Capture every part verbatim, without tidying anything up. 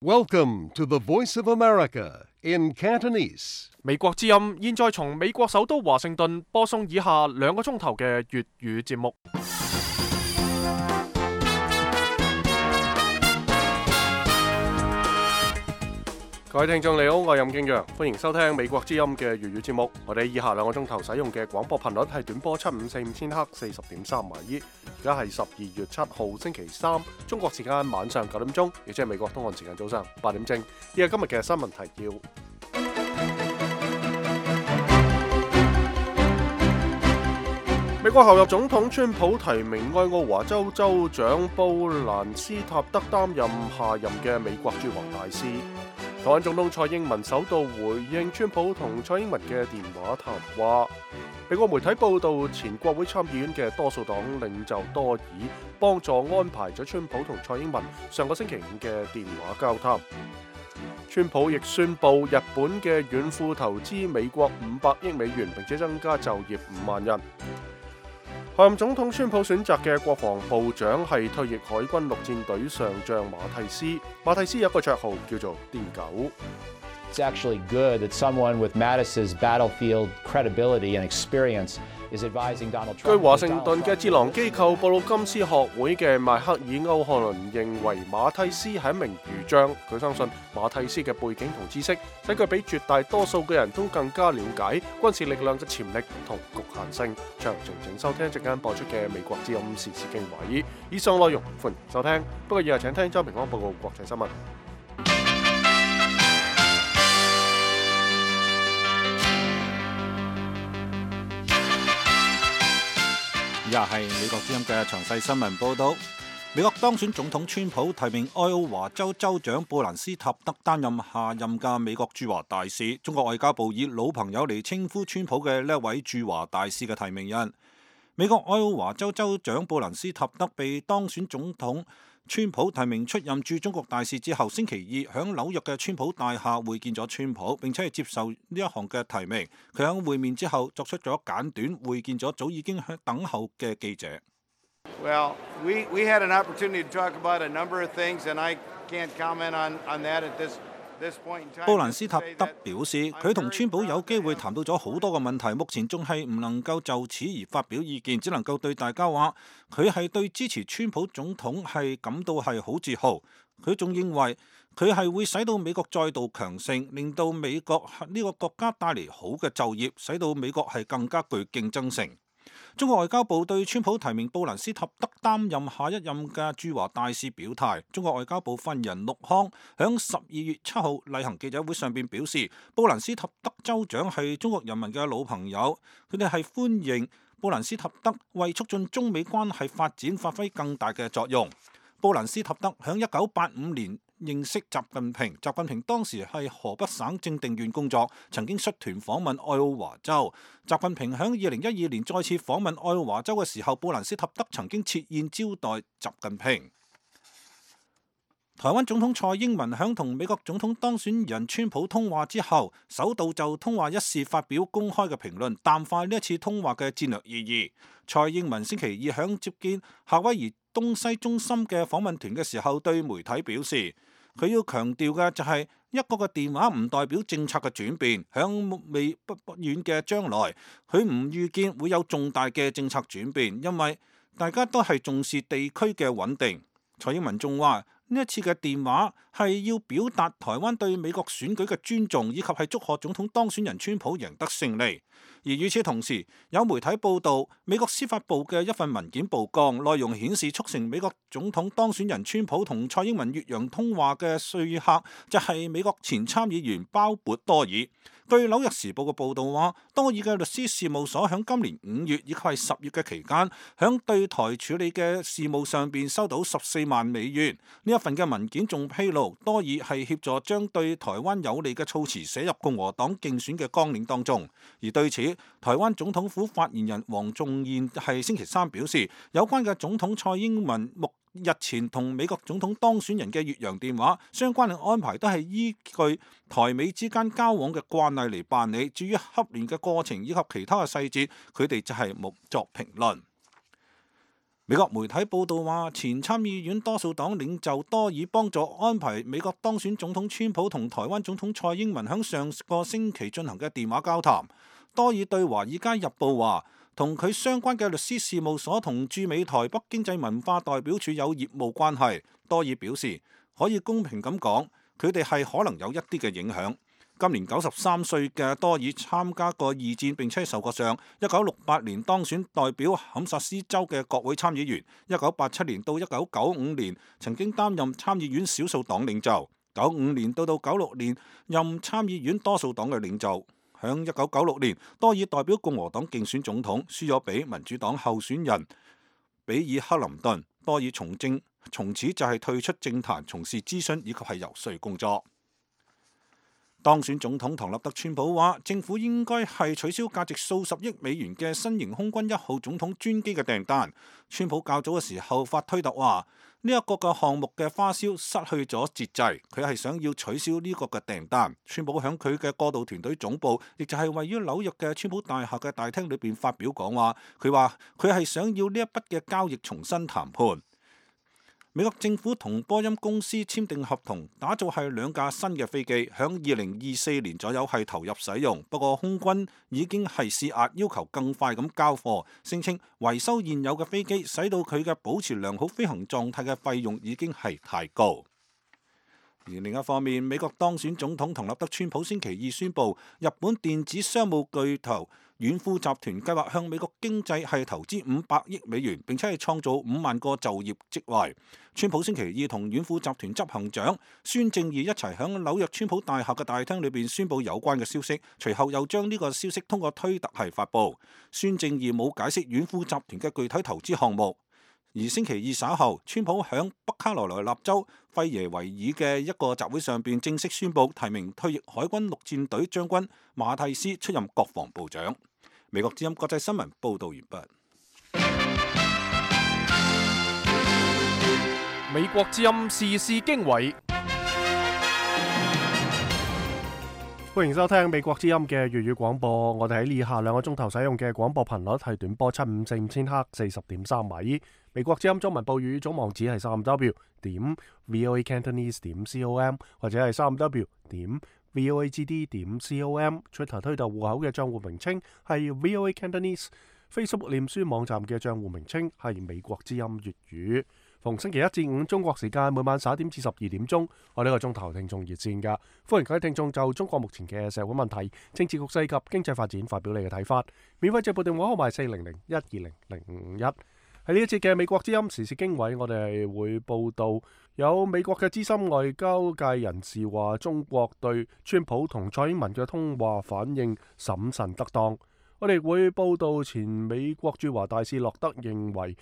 Welcome to the Voice of America in Cantonese. 美國之音現在從美國首都華盛頓播送以下兩個鐘頭嘅粵語節目。各位聽眾你好，我係任敬陽，歡迎收聽美國之音嘅粵語節目。我哋以下兩個鐘頭使用嘅廣播頻率係短波七五四五千赫四十點三米。而家係十二月七號星期三，中國時間晚上九點鐘，亦即係美國東岸時間早上八點正。呢係今日嘅新聞提要。美國候任總統川普提名愛奧華州州長布蘭斯塔德擔任下任嘅美國駐華大使。台灣總統蔡英文首度回應川普同蔡英文嘅電話談話。美國媒體報道，前國會參議院嘅多數黨領袖多爾幫助安排咗川普同蔡英文上個星期五嘅電話交談。川普亦宣布日本嘅軟庫投資美國五百億美元，並且增加就業五萬人。候任總統川普選擇嘅國防部長係退役海軍陸戰隊上將馬蒂斯。馬蒂斯有一個綽號叫做癲狗。It's actually good that someone with Mattis's battlefield credibility and experience is advising Donald Trump. 據華盛頓嘅智囊機構布魯金斯學會嘅邁克爾歐漢倫認為馬蒂斯係一名儒將，佢相信馬蒂斯嘅背景同知識使佢比絕大多數嘅人都更加了解軍事力量嘅潛力同局限性。詳情請收聽即間播出嘅美國之音時事經緯。以上內容歡迎收聽，不過以下請聽周平安報告國際新聞。以下係美國之音嘅詳細新聞報道。美國當選總統川普提名愛奧華州州長布蘭斯塔德擔任下任嘅美國駐華大使。中國外交部以老朋友嚟稱呼川普嘅呢一位駐華大使嘅提名人。美國愛奧華州州長布蘭斯塔德被當選總統川普提名出任駐中國大使之後，星期二響紐約嘅川普大廈會見咗川普，並且係接受呢一項嘅提名。佢響會面之後作出咗簡短會見咗早已經喺等候嘅記者。Well, we we had an opportunity to talk about a number of things, and I can't comment on on that at this this point in time. 布蘭斯塔德表示，佢同川普有機會談到咗好多個問題，目前仲係唔能夠就此而發表意見，只能夠對大家話，佢係對支持川普總統係感到係好自豪。佢仲認為佢係會使到美國再度強盛，令到美國呢個國家帶嚟好嘅就業，使到美國係更加具競爭性。中國外交部對川普提名布蘭斯塔德擔任下一任嘅駐華大使表態。中國外交部發言人陸康響十二月七號例行記者會上邊表示，布蘭斯塔德州長係中國人民嘅老朋友，佢哋係歡迎布蘭斯塔德為促進中美關係發展發揮更大嘅作用。布蘭斯塔德響一九八五年認識習近平，習近平當時係河北省正定縣工作，曾經率團訪問愛奧華州。習近平響二零一二年再次訪問愛奧華州嘅時候，布蘭斯塔德曾經設宴招待習近平。台灣總統蔡英文響同美國總統當選人川普通話之後，首度就通話一事發表公開嘅評論，淡化呢一次通話嘅戰略意義。蔡英文星期二響接見夏威夷東西中心嘅訪問團嘅時候，對媒體表示，佢要強調嘅就係一個個電話唔代表政策嘅轉變，響未不不遠嘅將來，佢唔預見會有重大嘅政策轉變，因為大家都係重視地區嘅穩定。蔡英文仲話，呢一次嘅電話係要表達台灣對美國選舉嘅尊重，以及係祝賀總統當選人川普贏得勝利。而與此同時，有媒體報道，美國司法部嘅一份文件曝光，內容顯示促成美國總統當選人川普同蔡英文越洋通話嘅說客就係美國前參議員鮑勃多爾。據紐約時報嘅報導話，多爾嘅律師事務所響今年五月以及係十月嘅期間，響對台處理嘅事務上邊收到十四萬美元。呢一份嘅文件仲披露，多爾係協助將對台灣有利嘅措辭寫入共和黨競選嘅綱領當中。而對此，台灣總統府發言人黃仲彥係星期三表示，有關嘅總統蔡英文目日前同美國總統當選人嘅越洋電話相關嘅安排都係依據台美之間交往嘅慣例嚟辦理，至於洽聯嘅過程以及其他嘅細節，佢哋就係冇作評論。美國媒體報道話，前參議院多數黨領袖多爾幫助安排美國當選總統川普同台灣總統蔡英文響上個星期進行嘅電話交談。多爾對《華爾街日報》話，同佢相關嘅律師事務所同駐美台北經濟文化代表處有業務關係。多爾表示，可以公平咁講，佢哋係可能有一啲嘅影響。今年九十三歲嘅多爾參加過二戰並且受過傷，一九六八年當選代表堪薩斯州嘅國會參議員，一九八七年到一九九五年曾經擔任參議院少數黨領袖，九五年到到九六年任參議院多數黨嘅領袖。響一九九六年，多爾代表共和黨競選總統，輸咗俾民主黨候選人比爾克林頓。多爾從政，從此就係退出政壇，從事諮詢以及係遊說工作。當選總統唐納德川普話，政府應該係取消價值數十億美元嘅新型空軍一號總統專機嘅訂單。川普較早嘅時候發推特話，呢一個嘅項目嘅花銷失去咗節制，佢係想要取消呢個嘅訂單。川普響佢嘅過渡團隊總部，亦就係位於紐約嘅川普大廈嘅大廳裏邊發表講話，佢話佢係想要呢一筆嘅交易重新談判。美國政府同波音公司簽訂合同，打造係兩架新嘅飛機，響二零二四年左右係投入使用。不過空軍已經係施壓，要求更快咁交貨，聲稱維修現有嘅飛機，使到佢嘅保持良好飛行狀態嘅費用已經係太高。而另一方面，美國當選總統唐納德川普星期二宣布，日本電子商務巨頭軟庫集團計劃向美國經濟係投資五百億美元，並且係創造五萬個就業職位。川普星期二同軟庫集團執行長孫正義一齊響紐約川普大廈嘅大廳裏邊宣布有關嘅消息，隨後又將呢個消息通過推特係發布。孫正義冇解釋軟庫集團嘅具體投資項目。而星期二稍後，川普響北卡羅來納州費耶維爾嘅一個集會上邊正式宣布提名退役海軍陸戰隊將軍馬蒂斯出任國防部長。美國之音國際新聞報道完畢。美國之音時事經緯，歡迎收聽美國之音嘅粵語廣播。我哋喺以下兩個鐘頭使用嘅廣播頻率係短波七五四五千赫四十點三米。美國之音中文報語總網址係三 w 點 voacantonese 點 com 或者係三 w 點 voagd 點 com。Twitter 推特戶口嘅賬戶名稱係 voacantonese。Facebook 臉書網站嘅賬戶名稱係美國之音粵語。逢星期一至五中國時間每晚十一點至十二點鐘，我呢個鐘頭聽眾熱線噶，歡迎各位聽眾就中國目前嘅社會問題、政治局勢及經濟發展發表你嘅睇法。免費直播電話號碼係四零零一二零零五五一。喺呢一節嘅美國之音時事經緯，我哋會報道有美國嘅資深外交界人士話，中國對川普同蔡英文嘅通話反應審慎得當。我哋會報道前美國駐華大使洛德認為，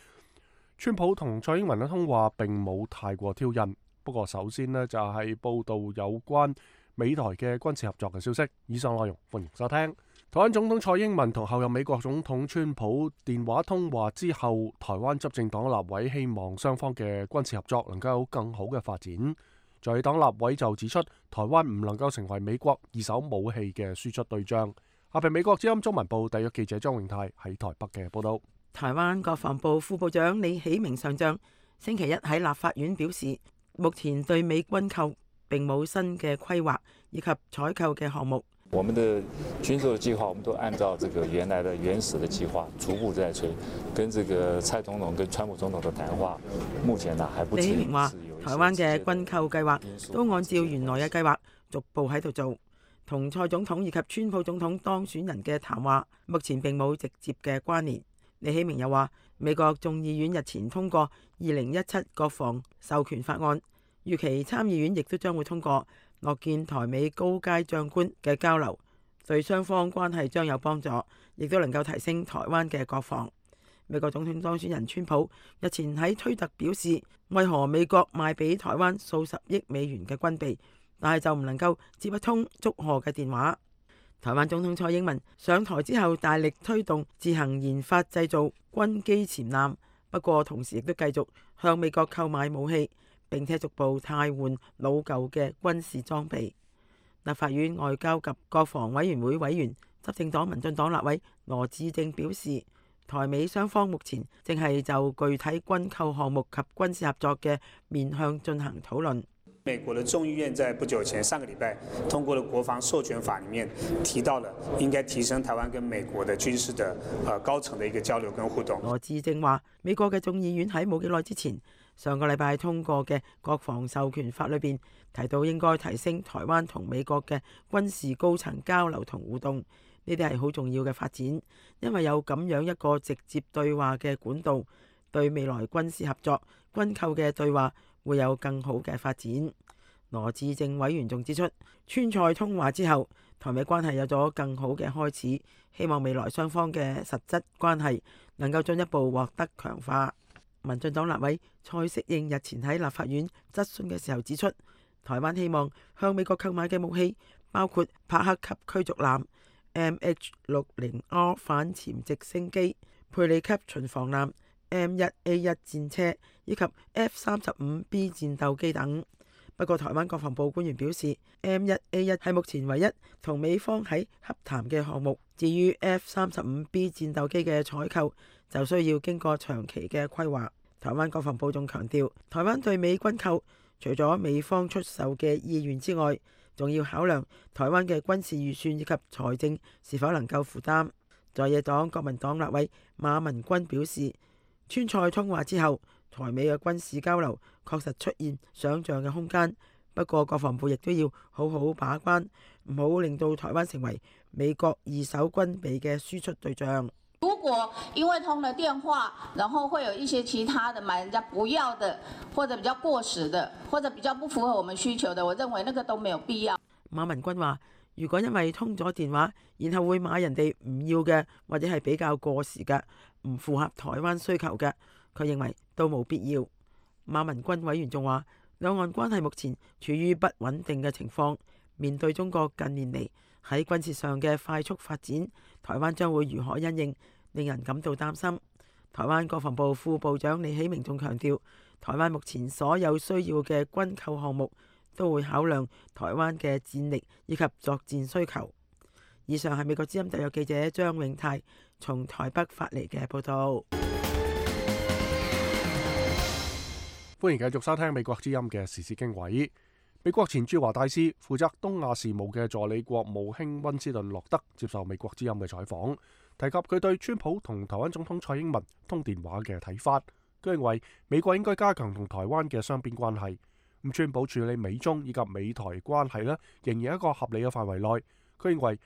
川普同蔡英文嘅通話並冇太過挑釁。不過首先呢，就係報道有關美台嘅軍事合作嘅消息。以上內容歡迎收聽。台灣總統蔡英文同後任美國總統川普電話通話之後，台灣執政黨立委希望雙方嘅軍事合作能夠有更好嘅發展。在黨立委就指出，台灣唔能夠成為美國二手武器嘅輸出對象。下邊美國之音中文部特約記者張永泰喺台北嘅報道。台灣國防部副部長李喜明上將星期一喺立法院表示，目前對美軍購並冇新嘅規劃以及採購嘅項目。我們的軍售計劃，我們都按照這個原來的原始的計劃逐步在推。跟這個蔡總統跟川普總統的談話，目前呢還不至於。李喜明話，台灣嘅軍購計劃都按照原來嘅計劃逐步喺度做。同蔡總統以及川普總統當選人嘅談話，目前並冇直接嘅關聯。李喜明又話，美國眾議院日前通過二零一七國防授權法案，預期參議院亦都將會通過，樂見台美高階將官嘅交流，對雙方關係將有幫助，亦都能夠提升台灣嘅國防。美國總統當選人川普日前喺推特表示，為何美國賣俾台灣數十億美元嘅軍備，但係就唔能夠接一通祝賀嘅電話。台灣總統蔡英文上台之後，大力推動自行研發製造軍機潛艦，不過同時亦都繼續向美國購買武器，並且逐步替換老舊嘅軍事裝備。立法院外交及國防委員會委員、執政黨民進黨立委羅致政表示，台美雙方目前正係就具體軍購項目及軍事合作嘅面向進行討論。美國的眾議院在不久前上個禮拜通過了國防授權法，裡面提到了應該提升台灣跟美國的軍事的呃高層的一個交流跟互動。羅致政話，美國嘅眾議院喺冇幾耐之前上個禮拜通過嘅國防授權法裏邊提到應該提升台灣同美國嘅軍事高層交流同互動，呢啲係好重要嘅發展，因為有咁樣一個直接對話嘅管道，對未來軍事合作、軍購嘅對話會有更好嘅發展。羅致政委員仲指出，川菜通話之後，台美關係有咗更好嘅開始，希望未來雙方嘅實質關係能夠進一步獲得強化。民進黨立委蔡適應日前喺立法院質詢嘅時候指出，台灣希望向美國購買嘅武器包括帕克級驅逐艦、M H 六十 R 反潛直升機、佩里級巡防艦、M 一 A 一 戰車以及 F 三十五 B 戰鬥機等。不過，台灣國防部官員表示 ，M 一 A 一係目前唯一同美方喺洽談嘅項目。至於 F 三十五 B 戰鬥機嘅採購，就需要經過長期嘅規劃。台灣國防部仲強調，台灣對美軍購除咗美方出售嘅意願之外，仲要考量台灣嘅軍事預算以及財政是否能夠負擔。在野黨國民黨立委馬文君表示，川菜通話之後，台美嘅軍事交流確實出現想像嘅空間，不過國防部亦都要好好把關，唔好令到台灣成為美國二手軍備嘅輸出對象。如果因為通了電話，然後會有一些其他的買人家不要的，或者比較過時的，或者比較不符合我們需求的，我認為那個都沒有必要。馬文君話，如果因為通咗電話，然後會買人哋唔要嘅，或者係比較過時嘅，唔符合台灣需求嘅，佢認為都冇必要。馬文君委員仲話，兩岸關係目前處於不穩定嘅情況，面對中國近年嚟喺軍事上嘅快速發展，台灣將會如何因應，令人感到擔心。台灣國防部副部長李喜明仲強調，台灣目前所有需要嘅軍購項目都會考量台灣嘅戰力以及作戰需求。以上係美國之音特約記者張永泰從台北發嚟嘅報道。歡迎繼續收聽美國之音嘅時事經緯。美國前駐華大使、負責東亞事務嘅助理國務卿溫斯頓洛德接受美國之音嘅採訪，提及佢對川普同台灣總統蔡英文通電話嘅睇法。佢認為美國應該加強同台灣嘅雙邊關係。咁川普處理美中以及美台關係呢，仍然喺一個合理嘅範圍內。佢認為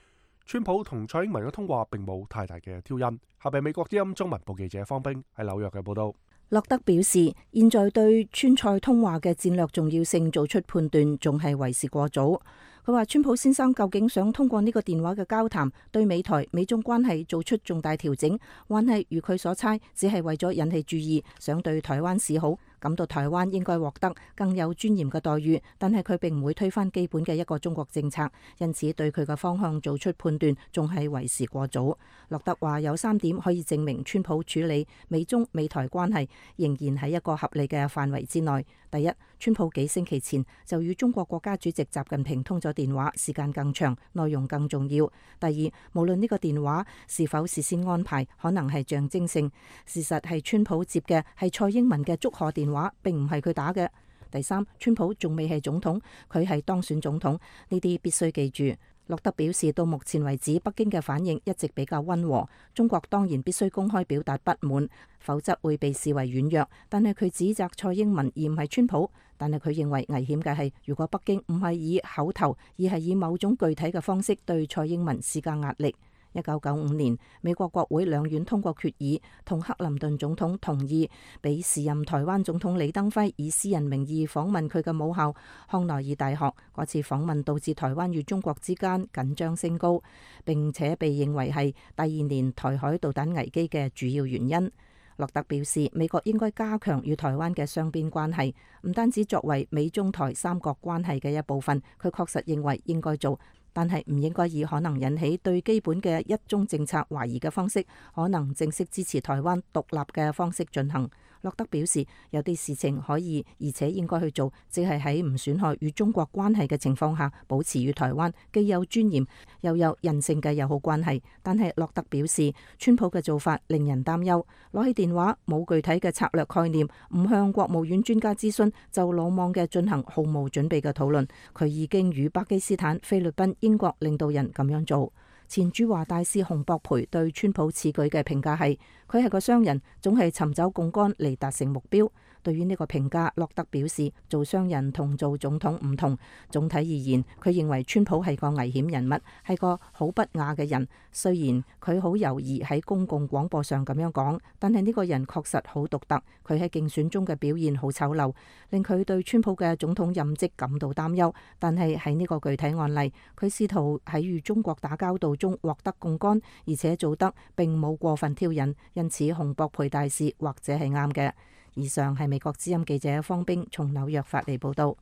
川普同蔡英文嘅通話並冇太大嘅挑釁。下邊美國之音中文部記者方冰喺紐約嘅報道。洛德表示，現在對川蔡通話嘅戰略重要性做出判斷，仲係為時過早。佢話川普先生究竟想通過呢個電話嘅交談，對美台美中關係做出重大調整，還係如佢所猜，只係為咗引起注意，想對台灣示好，感到台灣應該獲得更有尊嚴嘅待遇，但係佢並唔會推翻基本嘅一個中國政策，因此對佢嘅方向做出判斷仲係為時過早。洛德話有三點可以證明川普處理美中美台關係仍然喺一個合理嘅範圍之內。第一，川普幾星期前就與中國國家主席習近平通咗電話，時間更長，內容更重要。第二，無論呢個電話是否事先安排，可能係象徵性，事實係川普接嘅係蔡英文嘅祝賀電話，並唔係佢打嘅。第三，川普仲未係總統，佢係當選總統，呢啲必須記住。洛德表示，到目前為止，北京嘅反應一直比較溫和。中國當然必須公開表達不滿，否則會被視為軟弱。但係佢指責蔡英文而唔係川普。但係佢認為危險嘅係，如果北京唔係以口頭，而係以某種具體嘅方式對蔡英文施加壓力。一九九五年，美國國會兩院通過決議，同克林頓總統同意俾時任台灣總統李登輝以私人名義訪問佢嘅母校康奈爾大學。嗰次訪問導致台灣與中國之間緊張升高，並且被認為係第二年台海導彈危機嘅主要原因。洛特表示，美國應該加強與台灣嘅雙邊關係，唔單止作為美中台三角關係嘅一部分，佢確實認為應該做。但係唔應該以可能引起對基本嘅一中政策懷疑嘅方式，可能正式支持台灣獨立嘅方式進行。洛德表示，有啲事情可以而且應該去做，即係喺唔損害與中國關係嘅情況下，保持與台灣既有尊嚴又有人性嘅友好關係。但係洛德表示，川普嘅做法令人擔憂，攞起電話冇具體嘅策略概念，唔向國務院專家諮詢，就魯莽嘅進行毫無準備嘅討論。佢已經與巴基斯坦、菲律賓、英國領導人咁樣做。前駐華大使洪博培對川普此舉嘅評價係，佢係個商人，總係尋找槓桿嚟達成目標。對於呢個評價，洛德表示，做商人同做總統唔同。總體而言，佢認為川普係個危險人物，係個好不雅嘅人。雖然佢好猶豫喺公共廣播上咁樣講，但係呢個人確實好獨特。佢喺競選中嘅表現好醜陋，令佢對川普嘅總統任職感到擔憂。但係喺呢個具體案例，佢試圖喺與中國打交道中獲得槓桿，而且做得並冇過分挑釁，因此洪博培大使或者係啱嘅。以上係美國之音記者方冰從紐約發嚟報道。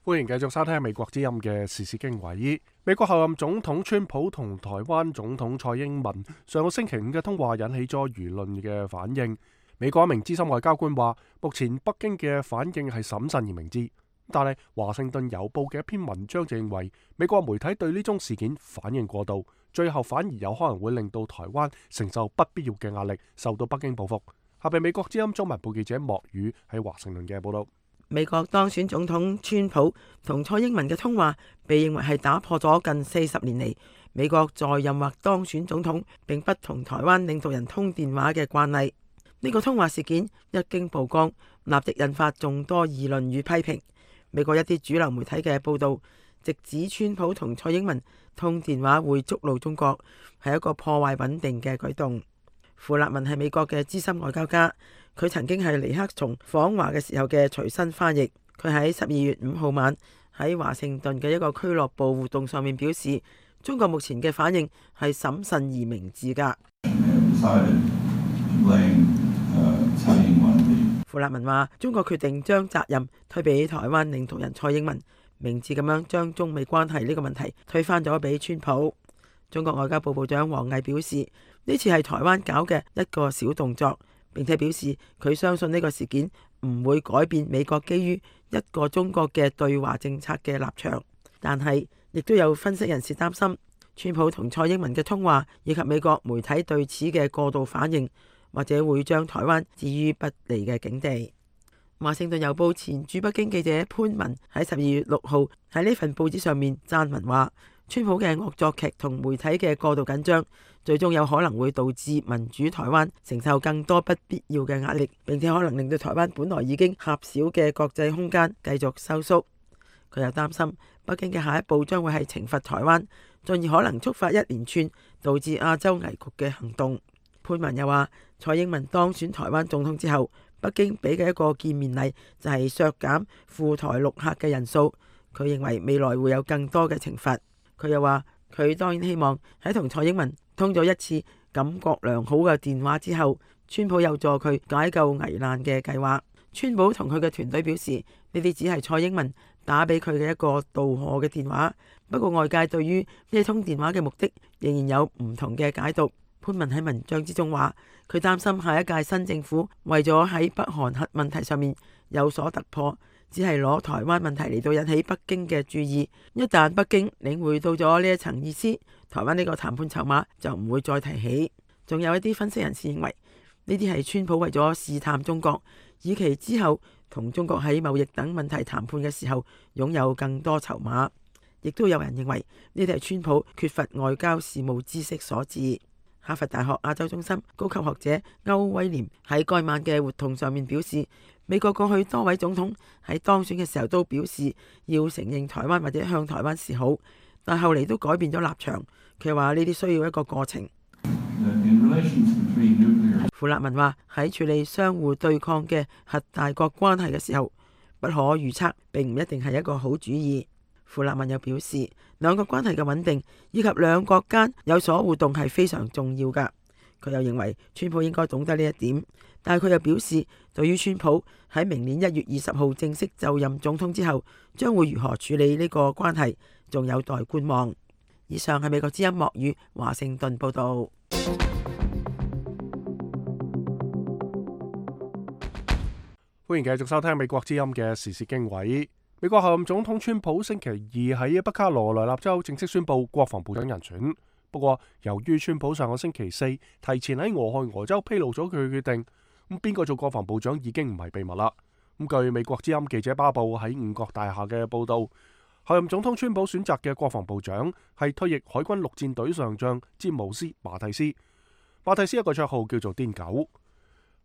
歡迎繼續收聽美國之音嘅時事經緯。美國候任總統川普同台灣總統蔡英文上個星期五嘅通話引起咗輿論嘅反應。美國一名資深外交官話，目前北京嘅反應係審慎而明智，但係華盛頓郵報嘅一篇文章就認為美國媒體對呢宗事件反應過度，最後反而有可能會令到台灣承受不必要嘅壓力，受到北京報復。下邊美國之音中文部記者莫宇喺華盛頓嘅報道。美國當選總統川普同蔡英文嘅通話被認為係打破咗近四十年嚟美國在任或當選總統並不同台灣領導人通電話嘅慣例。呢個通話事件一經曝光，立即引發眾多議論與批評。美國一啲主流媒體嘅報道直指川普同蔡英文通電話會觸怒中國，係一個破壞穩定嘅舉動。傅立文係美國嘅資深外交家，佢曾經係尼克松訪華嘅時候嘅隨身翻譯。佢喺十二月五號晚喺華盛頓嘅一個俱樂部活動上面表示，中國目前嘅反應係審慎而明智㗎。傅立文話，中國決定將責任推俾台灣領導人蔡英文，明智咁樣將中美關係呢個問題推翻咗俾川普。中國外交部部長王毅表示，呢次係台灣搞嘅一個小動作，並且表示佢相信呢個事件唔會改變美國基於一個中國嘅對華政策嘅立場。但係亦都有分析人士擔心，川普同蔡英文嘅通話以及美國媒體對此嘅過度反應，或者會將台灣置於不利嘅境地。華盛頓郵報前駐北京記者潘文喺十二月六號喺呢份報紙上面撰文話，川普嘅惡作劇同媒體嘅過度緊張，最終有可能會導致民主台灣承受更多不必要嘅壓力，並且可能令到台灣本來已經狹小嘅國際空間繼續收縮。佢又擔心北京嘅下一步將會係懲罰台灣，進而可能觸發一連串導致亞洲危局嘅行動。潘文又話，蔡英文當選台灣總統之後，北京俾嘅一個見面禮就係削減赴台陸客嘅人數。佢認為未來會有更多嘅懲罰。佢又話，佢當然希望喺同蔡英文通咗一次感覺良好嘅電話之後，川普有助佢解救危難嘅計劃。川普同佢嘅團隊表示，呢啲只係蔡英文打俾佢嘅一個道賀嘅電話。不過外界對於呢通電話嘅目的仍然有唔同嘅解讀。潘文喺文章之中話，佢擔心下一屆新政府為咗喺北韓核問題上面有所突破，只係攞台灣問題嚟到引起北京嘅注意。一旦北京領會到咗呢一層意思，台灣呢個談判籌碼就唔會再提起。仲有一啲分析人士認為，呢啲係川普為咗試探中國，以期之後同中國喺貿易等問題談判嘅時候擁有更多籌碼。亦都有人認為呢啲係川普缺乏外交事務知識所致。哈佛大學亞洲中心高級學者歐威廉喺該晚嘅活動上面表示，美國過去多位總統喺當選嘅時候都表示要承認台灣或者向台灣示好，但後嚟都改變咗立場。佢話呢啲需要一個過程。傅立文話，喺處理相互對抗嘅核大國關係嘅時候，不可預測並唔一定係一個好主意。傅立文又表示，兩國關係嘅穩定以及兩國間有所互動係非常重要㗎。佢又認為川普應該懂得呢一點，但係佢又表示，對於川普喺明年一月二十號正式就任總統之後，將會如何處理呢個關係，仲有待觀望。以上係美國之音莫語華盛頓報道。歡迎繼續收聽美國之音嘅時事經緯。美國候任總統川普星期二喺北卡羅來納州正式宣布國防部長人選。不過，由於川普上個星期四提前喺俄亥俄州披露咗佢嘅決定，咁邊個做國防部長已經唔係秘密啦。咁據美國之音記者巴布喺五角大廈嘅報道，候任總統川普選擇嘅國防部長係退役海軍陸戰隊上將詹姆斯馬蒂斯。馬蒂斯一個綽號叫做癲狗。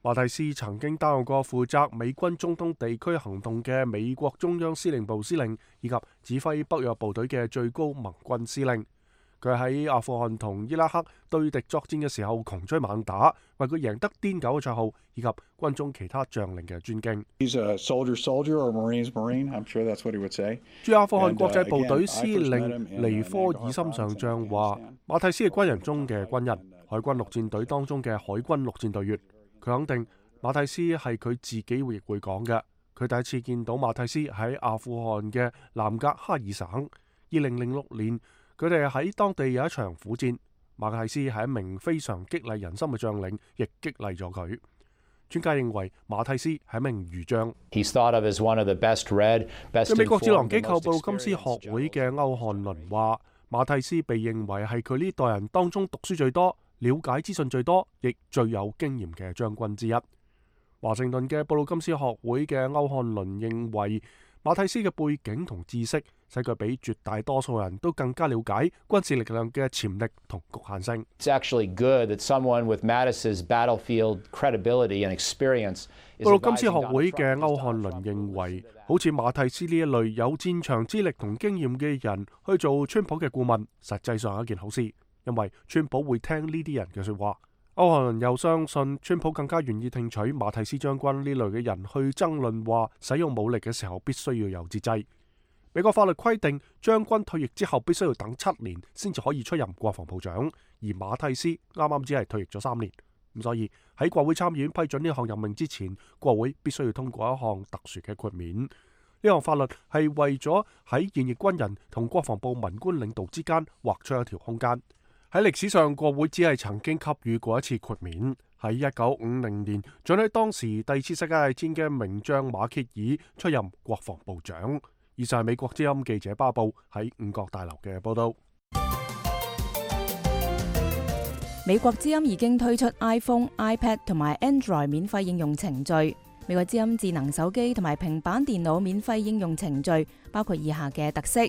馬蒂斯曾經擔任過負責美軍中東地區行動嘅美國中央司令部司令，以及指揮北約部隊嘅最高盟軍司令。佢喺阿富汗同伊拉克對敵作戰嘅時候窮追猛打，為佢贏得癲狗嘅綽號，以及軍中其他將領嘅尊敬。駐阿富汗國際部隊司令尼科爾森上將話：馬蒂斯係軍人中嘅軍人，海軍陸戰隊當中嘅海軍陸戰隊員。佢肯定馬蒂斯係佢自己亦會講嘅。佢第一次見到馬蒂斯喺阿富汗嘅南格哈爾省，二零零六年佢哋喺當地有一場苦戰。馬蒂斯係一名非常激勵人心嘅將領，亦激勵咗佢。專家認為馬蒂斯係一名儒將。嘅美國智囊機構布魯金斯學會嘅歐漢倫話：馬蒂斯被認為係佢呢代人當中讀書最多、了解資訊最多，亦最有經驗嘅將軍之一。華盛頓嘅布魯金斯學會嘅歐漢倫認為，馬蒂斯嘅背景同知識使佢比絕大多數人都更加了解軍事力量嘅潛力同局限性。It's actually good that someone with Mattis's battlefield credibility and experience。布魯金斯學會嘅歐漢倫認為，好似馬蒂斯呢一類有戰場資歷同經驗嘅人去做川普嘅顧問，實際上係一件好事。因為川普會聽呢啲人嘅說話。歐漢倫又相信川普更加願意聽取馬蒂斯將軍呢類嘅人去爭論話，使用武力嘅時候必須要有節制。美國法律規定，將軍退役之後必須要等七年先至可以出任國防部長，而馬蒂斯啱啱只係退役咗三年。咁所以喺國會參議院批准呢項任命之前，國會必須要通過一項特殊嘅豁免。呢項法律係為咗喺現役軍人同國防部文官領導之間劃出一條空間。喺歷史上，國會只係曾經給予過一次豁免，喺一九五零年准許當時第二次世界大戰嘅名將馬歇爾出任國防部長。以上係美國之音記者巴布喺五角大樓嘅報道。美國之音已經推出 iPhone、iPad 同埋 Android 免費應用程序。美國之音智能手機同埋平板電腦免費應用程序包括以下嘅特色：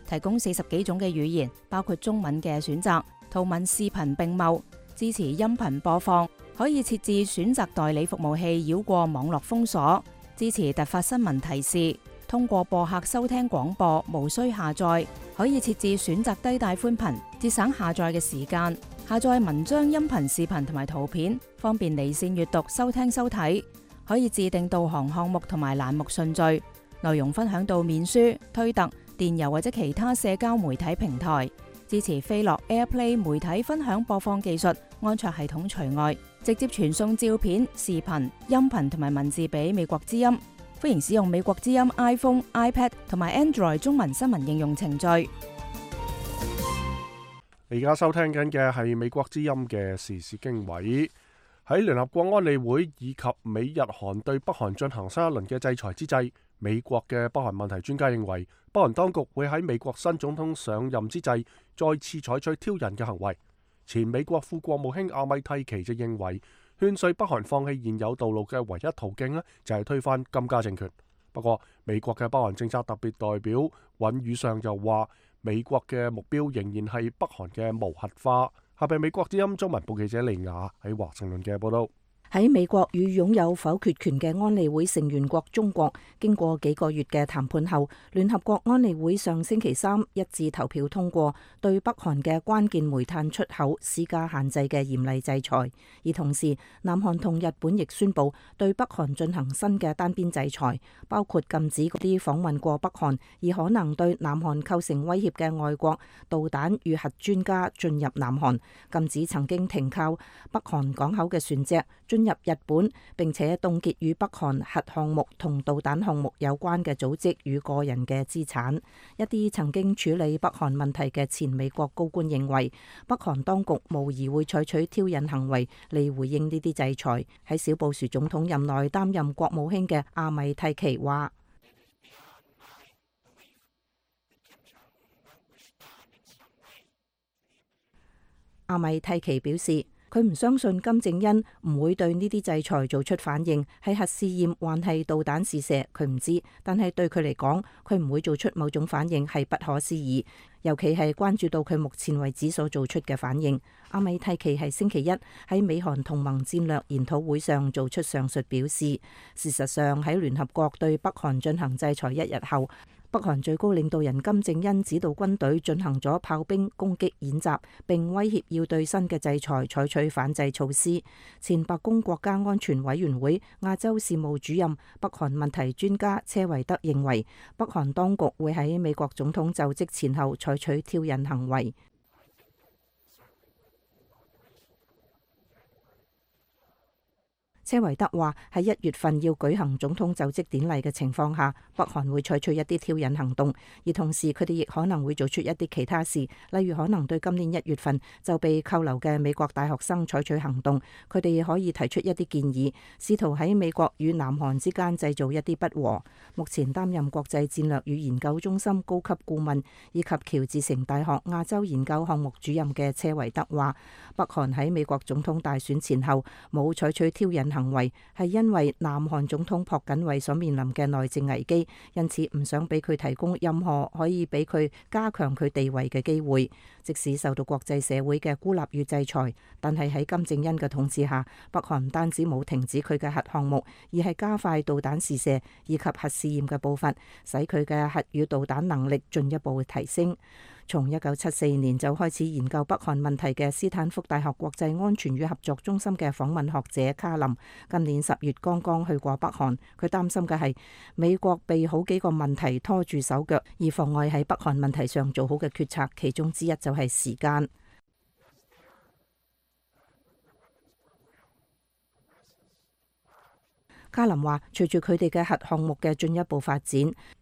提供四十幾種嘅語言，包括中文嘅選擇。圖文視頻並茂，支持音頻播放，可以設置選擇代理服務器繞過網絡封鎖，支持突發新聞提示，通過播客收聽廣播，無需下載，可以設置選擇低帶寬頻，節省下載嘅時間，下載文章、音頻、視頻同埋圖片，方便離線閱讀、收聽收睇，可以自定導航項目同埋欄目順序，內容分享到面書、推特、電郵或者其他社交媒體平台。支持飛樂 AirPlay 媒體分享播放技術，安卓系統除外，直接傳送照片、視頻、音頻同埋文字俾美國之音。歡迎使用美國之音 iPhone、iPad 同埋 Android 中文新聞應用程序。你而家收聽緊嘅係美國之音嘅時事經緯。喺聯合國安理會以及美日韓對北韓進行新一輪嘅制裁之際，美國嘅北韓問題專家認為，北韓當局會喺美國新總統上任之際再次採取挑釁嘅行為。前美國副國務卿阿米蒂奇就認為，勸說北韓放棄現有道路嘅唯一途徑呢，就係推翻金家政權。不過，美國嘅北韓政策特別代表尹宇尚就話，美國嘅目標仍然係北韓嘅無核化。下邊美國之音中文部記者利亞喺華盛頓嘅報道。喺美國與擁有否決權嘅安理會成員國中國，經過幾個月嘅談判後，聯合國安理會上星期三一致投票通過對北韓嘅關鍵煤炭出口施加限制嘅嚴厲制裁。而同時，南韓同日本亦宣布對北韓進行新嘅單邊制裁，包括禁止嗰啲訪問過北韓而可能對南韓構成威脅嘅外國導彈與核專家進入南韓，禁止曾經停靠北韓港口嘅船隻進進入日本，並且凍結與北韓核項目同導彈項目有關嘅組織與個人嘅資產。一啲曾經處理北韓問題嘅前美國高官認為，北韓當局無疑會採取挑釁行為嚟回應呢啲制裁。喺小布殊總統任內擔任國務卿嘅阿米蒂奇話：阿米蒂奇表示，佢唔相信金正恩唔會對呢啲制裁做出反應，係核試驗還係導彈試射，佢唔知。但係對佢嚟講，佢唔會做出某種反應係不可思議，尤其係關注到佢目前為止所做出嘅反應。阿米蒂奇係星期一喺美韓同盟戰略研討會上做出上述表示。事實上，喺聯合國對北韓進行制裁一日後，北韓最高領導人金正恩指導軍隊進行咗炮兵攻擊演習，並威脅要對新嘅制裁採取反制措施。前白宮國家安全委員會亞洲事務主任、北韓問題專家車維德認為，北韓當局會喺美國總統就職前後採取挑釁行為。車維德話：喺一月份要舉行總統就職典禮嘅情況下，北韓會採取一啲挑釁行動，而同時佢哋亦可能會做出一啲其他事，例如可能對今年一月份就被扣留嘅美國大學生採取行動。佢哋可以提出一啲建議，試圖喺美國與南韓之間製造一啲不和。目前擔任國際戰略與研究中心高級顧問以及喬治城大學亞洲研究項目主任嘅車維德話：北韓喺美國總統大選前後冇採取挑釁行為，係因為南韓總統朴槿惠所面臨嘅內政危機，因此唔想俾佢提供任何可以俾佢加強佢地位嘅機會。即使受到國際社會嘅孤立與制裁，但係喺金正恩嘅統治下，北韓唔單止冇停止佢嘅核項目，而係加快導彈試射以及核試驗嘅步伐，使佢嘅核與導彈能力進一步提升。從一九七四年就開始研究北韓問題嘅斯坦福大學國際安全與合作中心嘅訪問學者卡林，今年十月剛剛去過北韓。佢擔心嘅係美國被好幾個問題拖住手腳，而妨礙喺北韓問題上做好嘅決策，其中之一就係時間。卡林話：隨住佢哋嘅核項目嘅進一步發展，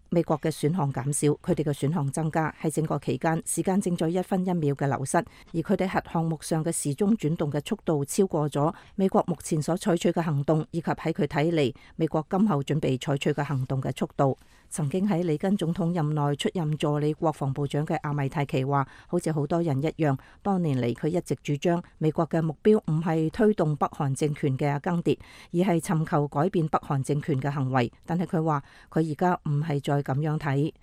美國嘅選項減少，佢哋嘅選項增加。喺整個期間，時間正在一分一秒嘅流失，而佢哋核項目上嘅時鐘轉動嘅速度超過咗美國目前所採取嘅行動，以及喺佢睇嚟美國今後準備採取嘅行動嘅速度。曾經喺里根總統任內出任助理國防部長嘅阿米泰奇話：好似好多人一樣，多年嚟佢一直主張美國嘅目標唔係推動北韓政權嘅更迭，而係尋求改變北韓政權嘅行為。但係佢話佢而家唔係再咁樣睇。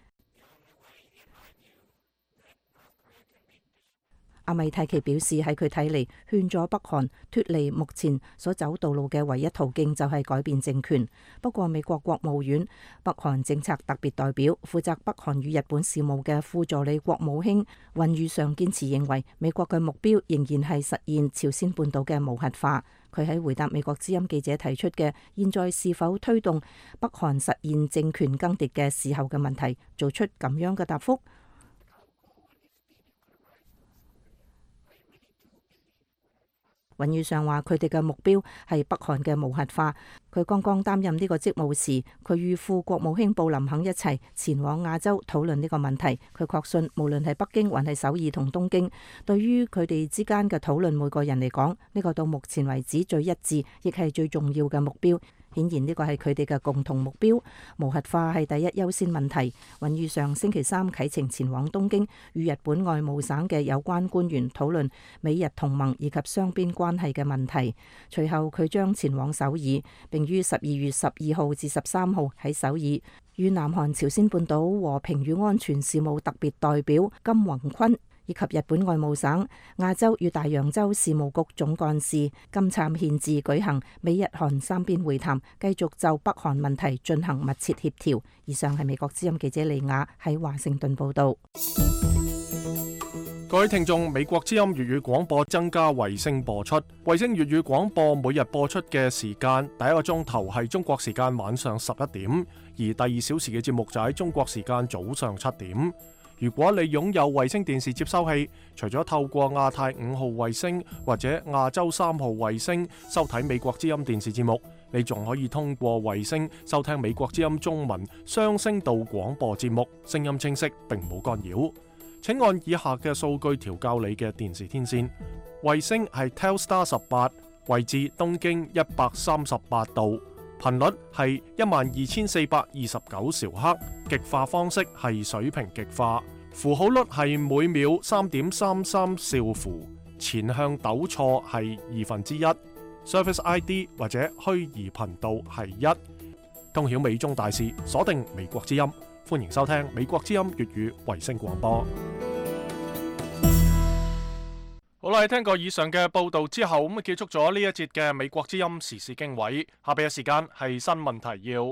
阿米泰奇表示，喺佢睇嚟，勸咗北韓脫離目前所走道路嘅唯一途徑就係改變政權。不過，美國國務院北韓政策特別代表、負責北韓與日本事務嘅副助理國務卿尹宇尚堅持認為，美國嘅目標仍然係實現朝鮮半島嘅無核化。佢喺回答美國之音記者提出嘅現在是否推動北韓實現政權更迭嘅時候嘅問題，做出咁樣嘅答覆。尹宇尚話：佢哋嘅目標係北韓嘅無核化。佢剛剛擔任呢個職務時，佢與副國務卿布林肯一齊前往亞洲討論呢個問題。佢確信，無論係北京還係首爾同東京，對於佢哋之間嘅討論，每個人嚟講，呢個到目前為止最一致，亦係最重要嘅目標。顯然呢個係佢哋嘅共同目標，無核化係第一優先問題。尹宇尚星期三啟程前往東京，與日本外務省嘅有關官員討論美日同盟以及雙邊關係嘅問題。隨後佢將前往首爾，並於十二月十二號至十三號喺首爾與南韓朝鮮半島和平與安全事務特別代表金宏坤以及日本外務省亞洲與大洋洲事務局總幹事金燦憲治舉行美日韓三邊會談，繼續就北韓問題進行密切協調。以上係美國之音記者李雅喺華盛頓報道。各位聽眾，美國之音粵語廣播增加衛星播出，衛星粵語廣播每日播出嘅時間，第一個鐘頭係中國時間晚上十一點，而第二小時嘅節目就喺中國時間早上七點。如果你擁有衛星電視接收器，除咗透過亞太五號衛星或者亞洲三號衛星收睇美國之音電視節目，你仲可以通過衛星收聽美國之音中文雙聲道廣播節目，聲音清晰並冇干擾。請按以下嘅數據調校你嘅電視天線。衛星係 Telstar 十八，位置東經一百三十八度，頻率係一萬二千四百二十九兆赫，極化方式係水平極化，符號率係每秒三點三三兆符，前向抖錯係二分之一，Service I D 或者虛擬頻道係一。通曉美中大事，鎖定美國之音，歡迎收聽美國之音粵語衛星廣播。好啦，聽過以上嘅報道之後，咁啊結束咗呢一節嘅美國之音時事經緯。下邊嘅時間係新聞提要。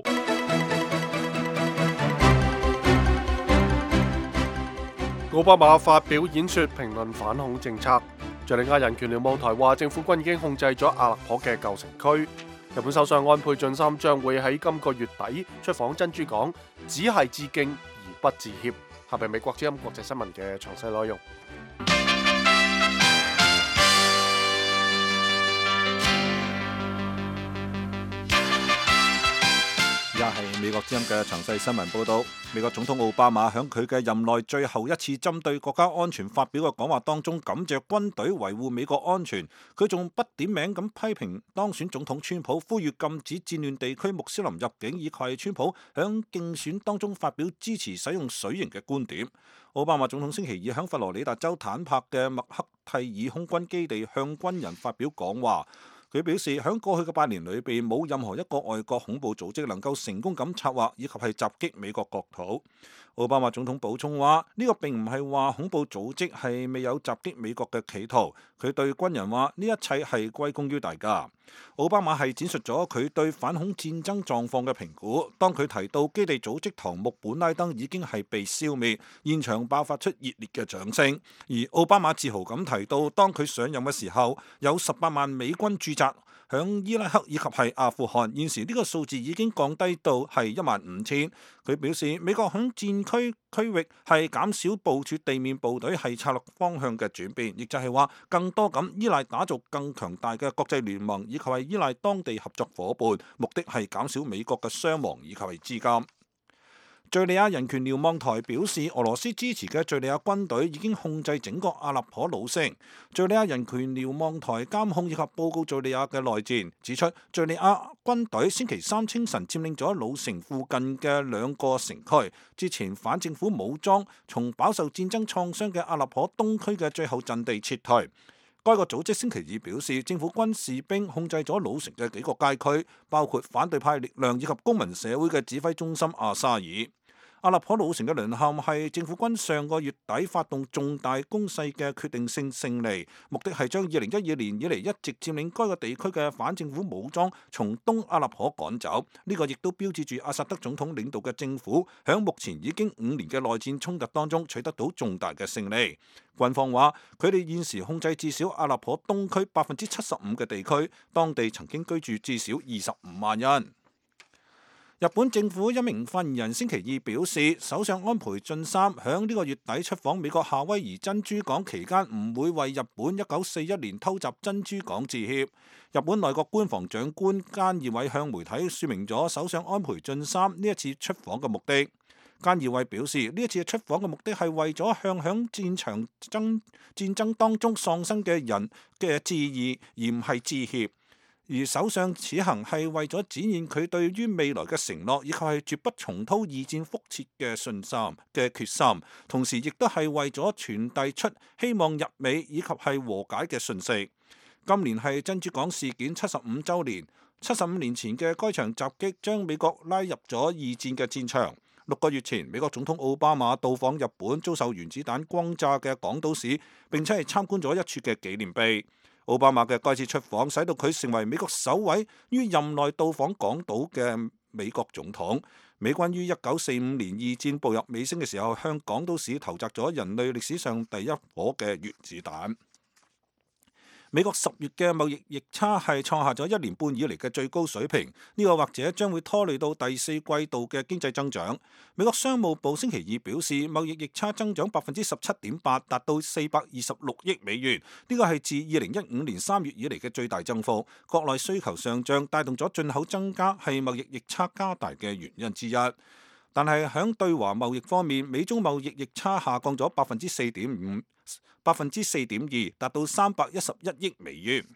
奧巴馬發表演說評論反恐政策。敘利亞人權瞭望台話，政府軍已經控制咗阿勒頗嘅舊城區。日本首相安倍晉三將會喺今個月底出訪珍珠港，只係致敬而不致歉。下邊美國之音國際新聞嘅詳細內容。而家係美國之音嘅詳細新聞報導。美國總統奧巴馬喺佢嘅任內最後一次針對國家安全發表嘅講話當中，感謝軍隊維護美國安全。佢仲不點名咁批評當選總統川普，呼籲禁止戰亂地區穆斯林入境，以及係川普喺競選當中發表支持使用水刑嘅觀點。奧巴馬總統星期二喺佛羅里達州坦帕嘅麥克蒂爾空軍基地向軍人發表講話。佢表示，喺過去嘅八年裏邊，冇任何一個外國恐怖組織能夠成功咁策劃以及係襲擊美國國土。奧巴馬總統補充話：呢個並唔係話恐怖組織係未有襲擊美國嘅企圖。佢對軍人話：呢一切係歸功於大家。奧巴馬係展述咗佢對反恐戰爭狀況嘅評估。當佢提到基地組織唐木本拉登已經係被消滅，現場爆發出熱烈嘅掌聲。而奧巴馬自豪咁提到，當佢上任嘅時候，有十八萬美軍駐紮響伊拉克以及係阿富汗，現時呢個數字已經降低到係一萬五千。佢表示，美國響戰區區域係減少部署地面部隊係策略方向嘅轉變，亦就係話更多咁依賴打造更強大嘅國際聯盟，以及係依賴當地合作夥伴，目的係減少美國嘅傷亡以及係資金。敘利亞人權瞭望台表示，俄羅斯支持嘅敘利亞軍隊已經控制整個阿勒頗老城。敘利亞人權瞭望台監控以及報告敘利亞嘅內戰，指出敘利亞軍隊星期三清晨佔領咗老城附近嘅兩個城區，之前反政府武裝從飽受戰爭創傷嘅阿勒頗東區嘅最後陣地撤退。該個組織星期二表示，政府軍士兵控制咗老城嘅幾個街區，包括反對派力量以及公民社會嘅指揮中心阿沙爾。阿勒頗老城嘅淪陷係政府軍上個月底發動重大攻勢嘅決定性勝利，目的係將二零一二年以嚟一直佔領該個地區嘅反政府武裝從東阿勒頗趕走。呢、這個亦都標誌住阿薩德總統領導嘅政府響目前已經五年嘅內戰衝突當中取得到重大嘅勝利。軍方話佢哋現時控制至少阿勒頗東區百分之七十五嘅地區，當地曾經居住至少二十五萬人。日本政府一名發言人星期二表示，首相安倍晉三響呢個月底出訪美國夏威夷珍珠港期間，唔會為日本一九四一年偷襲珍珠港致歉。日本內閣官房長官菅義偉向媒體說明咗首相安倍晉三呢一次出訪嘅目的。菅義偉表示，呢一次出訪嘅目的係為咗向響戰場爭戰爭當中喪生嘅人嘅致意，而唔係致歉。而首相此行係為咗展現佢對於未來嘅承諾，以及係絕不重蹈二戰覆轍嘅信心嘅決心，同時亦都係為咗傳遞出希望日美以及係和解嘅訊息。今年係珍珠港事件七十五週年，七十五年前嘅該場襲擊將美國拉入咗二戰嘅戰場。六個月前，美國總統奧巴馬到訪日本遭受原子彈轟炸嘅廣島市，並且係參觀咗一處嘅紀念碑。奧巴馬嘅該次出訪，使到佢成為美國首位於任內到訪港島嘅美國總統。美軍於一九四五年二戰步入尾聲嘅時候，向港島市投擲咗人類歷史上第一顆嘅原子彈。美國十月嘅貿易逆差係創下咗一年半以嚟嘅最高水平，呢個或者將會拖累到第四季度嘅經濟增長。美國商務部星期二表示，貿易逆差增長百分之十七點八，達到四百二十六億美元，呢個係自二零一五年三月以嚟嘅最大增幅。國內需求上漲帶動咗進口增加，係貿易逆差加大嘅原因之一。但係喺對華貿易方面，美中貿易逆差下降咗百分之四點五，百分之四點二，達到三百一十一億美元。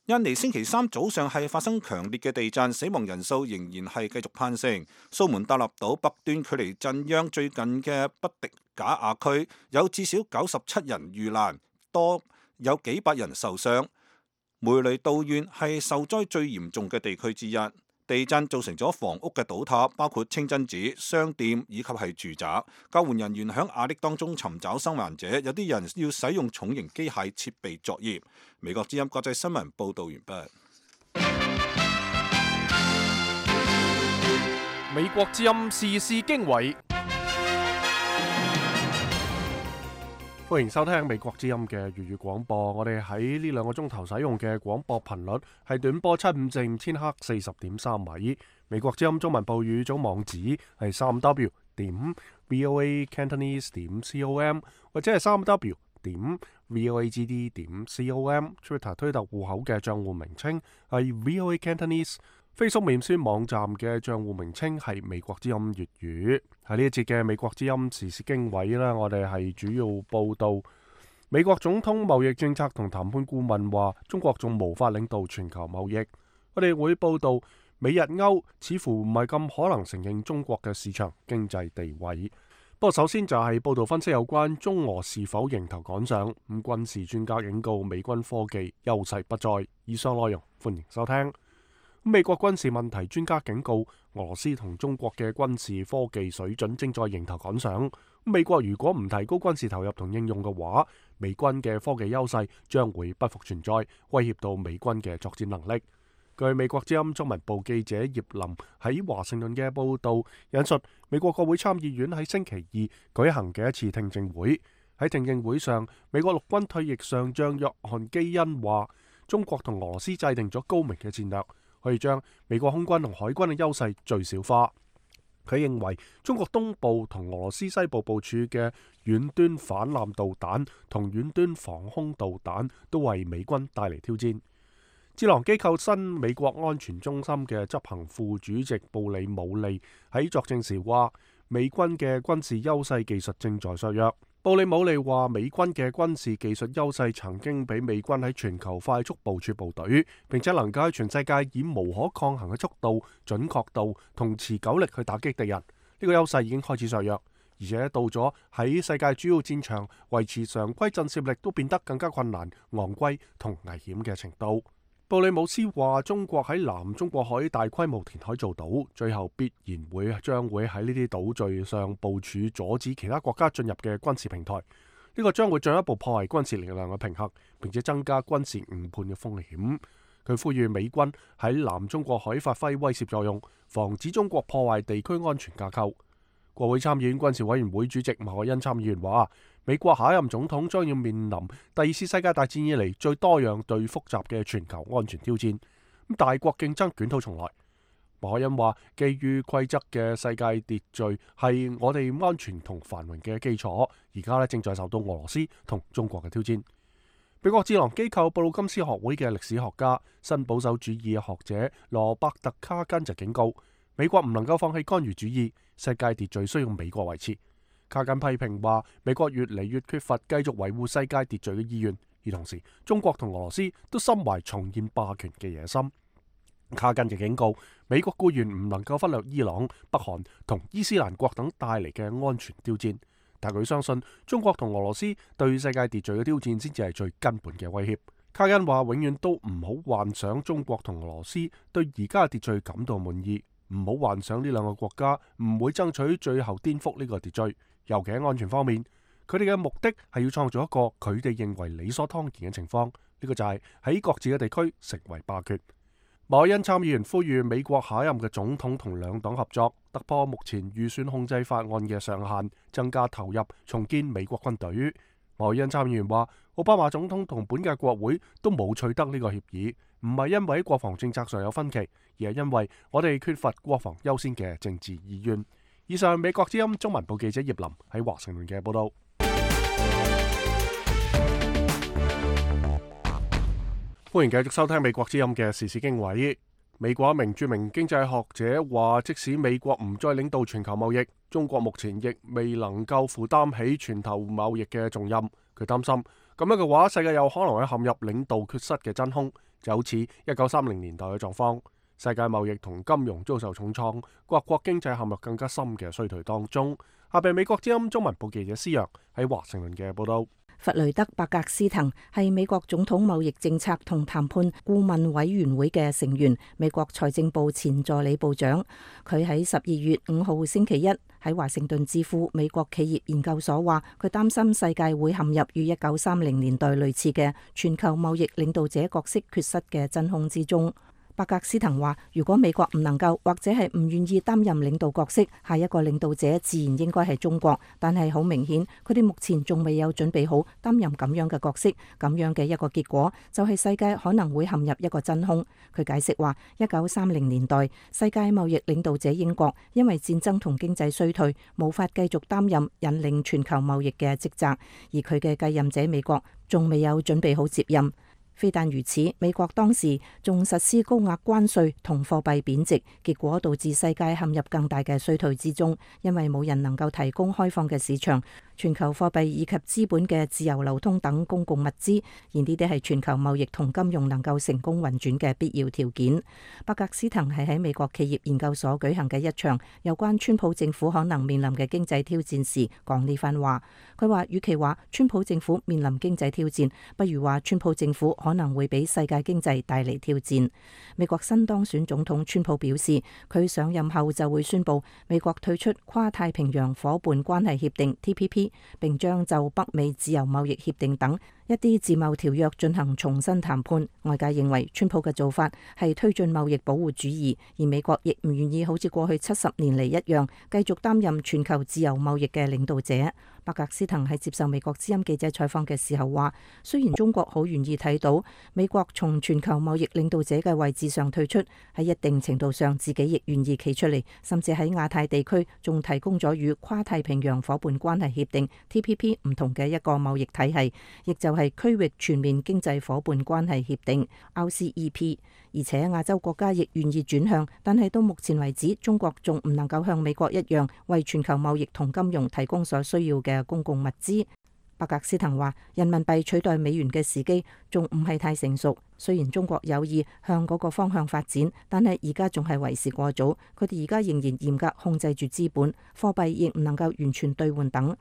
印尼星期三早上係發生強烈嘅地震，死亡人數仍然係繼續攀升。蘇門答臘島北端距離震央最近嘅北迪賈亞區有至少九十七人遇難，多有幾百人受傷。梅雷道縣係受災最嚴重嘅地區之一。地震造成咗房屋嘅倒塌，包括清真寺、商店以及係住宅。救援人員喺瓦礫當中尋找生還者，有啲人要使用重型機械設備作業。美國之音國際新聞報道完畢。美國之音時事經緯。歡迎收聽美國之音嘅粵語廣播。我哋喺呢兩個鐘頭使用嘅廣播頻率係短波七五四五千赫四十點三米。美國之音中文部語組網址係三 w 點 voa cantonese 點 com 或者係三 w 點 voagd 點 com。Twitter 推特戶口嘅賬戶名稱係 voa cantonese。Facebook 面書網站嘅賬戶名稱係美國之音粵語。喺呢一節嘅美國之音時事經緯啦，我哋係主要報道美國總統貿易政策同談判顧問話，中國仲無法領導全球貿易。我哋會報道美日歐似乎唔係咁可能承認中國嘅市場經濟地位。不過首先就係報道分析有關中俄是否迎頭趕上。咁軍事專家警告美軍科技優勢不再。以上內容歡迎收聽。美國軍事問題專家警告，俄羅斯同中國嘅軍事科技水準正在迎頭趕上。美國如果唔提高軍事投入同應用嘅話，美軍嘅科技優勢將會不復存在，威脅到美軍嘅作戰能力。據美國之音中文部記者葉林喺華盛頓嘅報道引述，美國國會參議院喺星期二舉行嘅一次聽證會。喺聽證會上，美國陸軍退役上將約翰基恩話，中國同俄羅斯制定咗高明嘅戰略，可以將美國空軍同海軍嘅優勢最小化。佢認為中國東部同俄羅斯西部部署嘅遠端反艦導彈同遠端防空導彈都為美軍帶嚟挑戰。智囊機構新美國安全中心嘅執行副主席布里姆利喺作證時話，美軍嘅軍事優勢技術正在削弱。布里姆利話，美軍嘅軍事技術優勢曾經俾美軍喺全球快速部署部隊，並且能夠喺全世界以無可抗衡嘅速度、準確度同持久力去打擊敵人。呢、這個優勢已經開始削弱，而且到咗喺世界主要戰場維持常規震懾力都變得更加困難、昂貴同危險嘅程度。布里姆斯話，中國喺南中國海大規模填海造島，最後必然會將會喺呢啲島嶼上部署阻止其他國家進入嘅軍事平台。呢、這個將會進一步破壞軍事力量嘅平衡，並且增加軍事誤判嘅風險。佢呼籲美軍喺南中國海發揮威懾作用，防止中國破壞地區安全架構。國會參議院軍事委員會主席馬可恩參議員話，美國下一任總統將要面臨第二次世界大戰以嚟最多樣、最複雜嘅全球安全挑戰。咁大國競爭捲土重來。馬可恩話，基於規則嘅世界秩序係我哋安全同繁榮嘅基礎，而家咧正在受到俄羅斯同中國嘅挑戰。美國智囊機構布魯金斯學會嘅歷史學家、新保守主義學者羅伯特卡根就警告，美國唔能夠放棄干預主義，世界秩序需要美國維持。卡根批評話，美國越嚟越缺乏繼續維護世界秩序嘅意願，而同時中國同俄羅斯都心懷重現霸權嘅野心。卡根就警告，美國固然唔能夠忽略伊朗、北韓同伊斯蘭國等帶嚟嘅安全挑戰，但佢相信中國同俄羅斯對世界秩序嘅挑戰先至係最根本嘅威脅。卡根話，永遠都唔好幻想中國同俄羅斯對而家嘅秩序感到滿意，唔好幻想呢兩個國家唔會爭取最後顛覆呢個秩序。尤其喺安全方面，佢哋嘅目的係要創造一個佢哋認為理所當然嘅情況，呢、這個就係喺各自嘅地區成為霸權。馬可恩參議員呼籲美國下一任嘅總統同兩黨合作，突破目前預算控制法案嘅上限，增加投入，重建美國軍隊。馬莫恩參議員話，奧巴馬總統同本屆國會都冇取得呢個協議，唔係因為國防政策上有分歧，而係因為我哋缺乏國防優先嘅政治意願。以上美國之音中文部記者葉林喺華盛頓嘅報道。歡迎繼續收聽美國之音嘅時事經緯。美國一名著名經濟學者話，即使美國唔再領導全球貿易，中國目前亦未能夠負擔起全球貿易嘅重任。佢擔心咁樣嘅話，世界有可能會陷入領導缺失嘅真空，就好似一九三零年代嘅狀況。世界貿易同金融遭受重創，各國經濟陷入更加深嘅衰退當中。下邊美國之音中文部記者施陽喺華盛頓嘅報道。弗雷德·伯格斯滕係美國總統貿易政策同談判顧問委員會嘅成員，美國財政部前助理部長。佢喺十二月五號星期一喺華盛頓智庫美國企業研究所話，佢擔心世界會陷入與一九三零年代類似嘅全球貿易領導者角色缺失嘅真空之中。伯格斯滕話，如果美國唔能夠或者係唔願意擔任領導角色，下一個領導者自然應該係中國。但係好明顯，佢哋目前仲未有準備好擔任咁樣嘅角色。咁樣嘅一個結果就係世界可能會陷入一個真空。佢解釋話，一九三零年代世界貿易領導者英國因為戰爭同經濟衰退，無法繼續擔任引領全球貿易嘅職責，而佢嘅繼任者美國仲未有準備好接任。非但如此，美國當時仲實施高額關稅同貨幣貶值，結果導致世界陷入更大嘅衰退之中，因為冇人能夠提供開放嘅市場、全球貨幣以及資本嘅自由流通等公共物資，而呢啲係全球貿易同金融能夠成功運轉嘅必要條件。伯格斯滕係喺美國企業研究所舉行嘅一場有關川普政府可能面臨嘅經濟挑戰時講呢番話。佢話，與其話川普政府面臨經濟挑戰，不如話川普政府可能會俾世界經濟帶嚟挑戰。美國新當選總統川普表示，佢上任後就會宣布美國退出跨太平洋夥伴關係協定 T P P， 並將就北美自由貿易協定等一啲自貿條約進行重新談判。外界認為川普嘅做法係推進貿易保護主義，而美國亦唔願意好似過去七十年嚟一樣繼續擔任全球自由貿易嘅領導者。伯格斯滕喺接受美國之音記者採訪嘅時候話，雖然中國好願意睇到美國從全球貿易領導者嘅位置上退出，喺一定程度上自己亦願意企出嚟，甚至喺亞太地區仲提供咗與跨太平洋夥伴關係協定 T P P 唔同嘅一個貿易體系，亦就係區域全面經濟夥伴關係協定 R C E P。而且亞洲國家亦願意轉向，但係到目前為止，中國仲唔能夠像美國一樣為全球貿易同金融提供所需要嘅公共物資。伯格斯滕話，人民幣取代美元嘅時機仲唔係太成熟，雖然中國有意向嗰個方向發展，但係而家仲係為時過早。佢哋而家仍然嚴格控制住資本，貨幣亦唔能夠完全兌換等。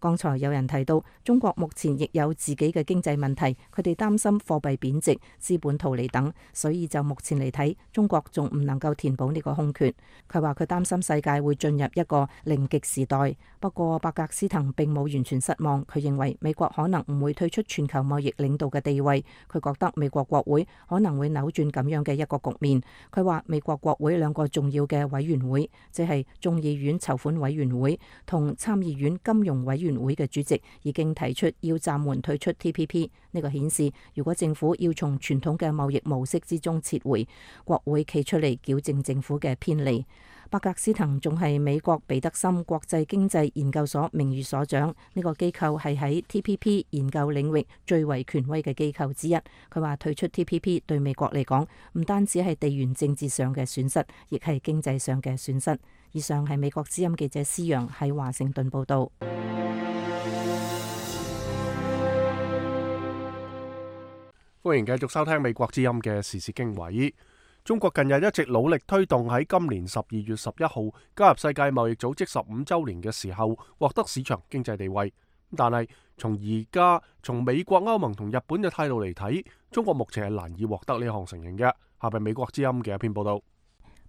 剛才有人提到，中國目前亦有自己嘅經濟問題，佢哋擔心貨幣貶值、資本逃離等，所以就目前嚟睇，中國仲唔能夠填補呢個空缺。佢話佢擔心世界會進入一個零極時代。不過伯格斯滕並冇完全失望，佢認為美國可能唔會退出全球貿易領導嘅地位。佢覺得美國國會可能會扭轉咁樣嘅一個局面。佢話美國國會兩個重要嘅委員會，即係眾議院籌款委員會同參議院金融委員會嘅主席已經提出要暫緩退出 T P P。 呢個顯示，如果政府要從傳統嘅貿易模式之中撤回，國會企出嚟矯正政府嘅偏離。伯格斯滕仲係美國彼得森國際經濟研究所名譽所長，呢個機構係喺 T P P 研究領域最為權威嘅機構之一。佢話退出 T P P 對美國嚟講唔單止係地緣政治上嘅損失，亦係經濟上嘅損失。以上係美國之音記者施陽喺華盛頓報道。歡迎繼續收聽美國之音嘅時事經緯。中國近日一直努力推動喺今年十二月十一號加入世界貿易組織十五周年嘅時候獲得市場經濟地位。但係從而家從美國、歐盟同日本嘅態度嚟睇，中國目前係難以獲得呢項承認嘅。下邊美國之音嘅一篇報道。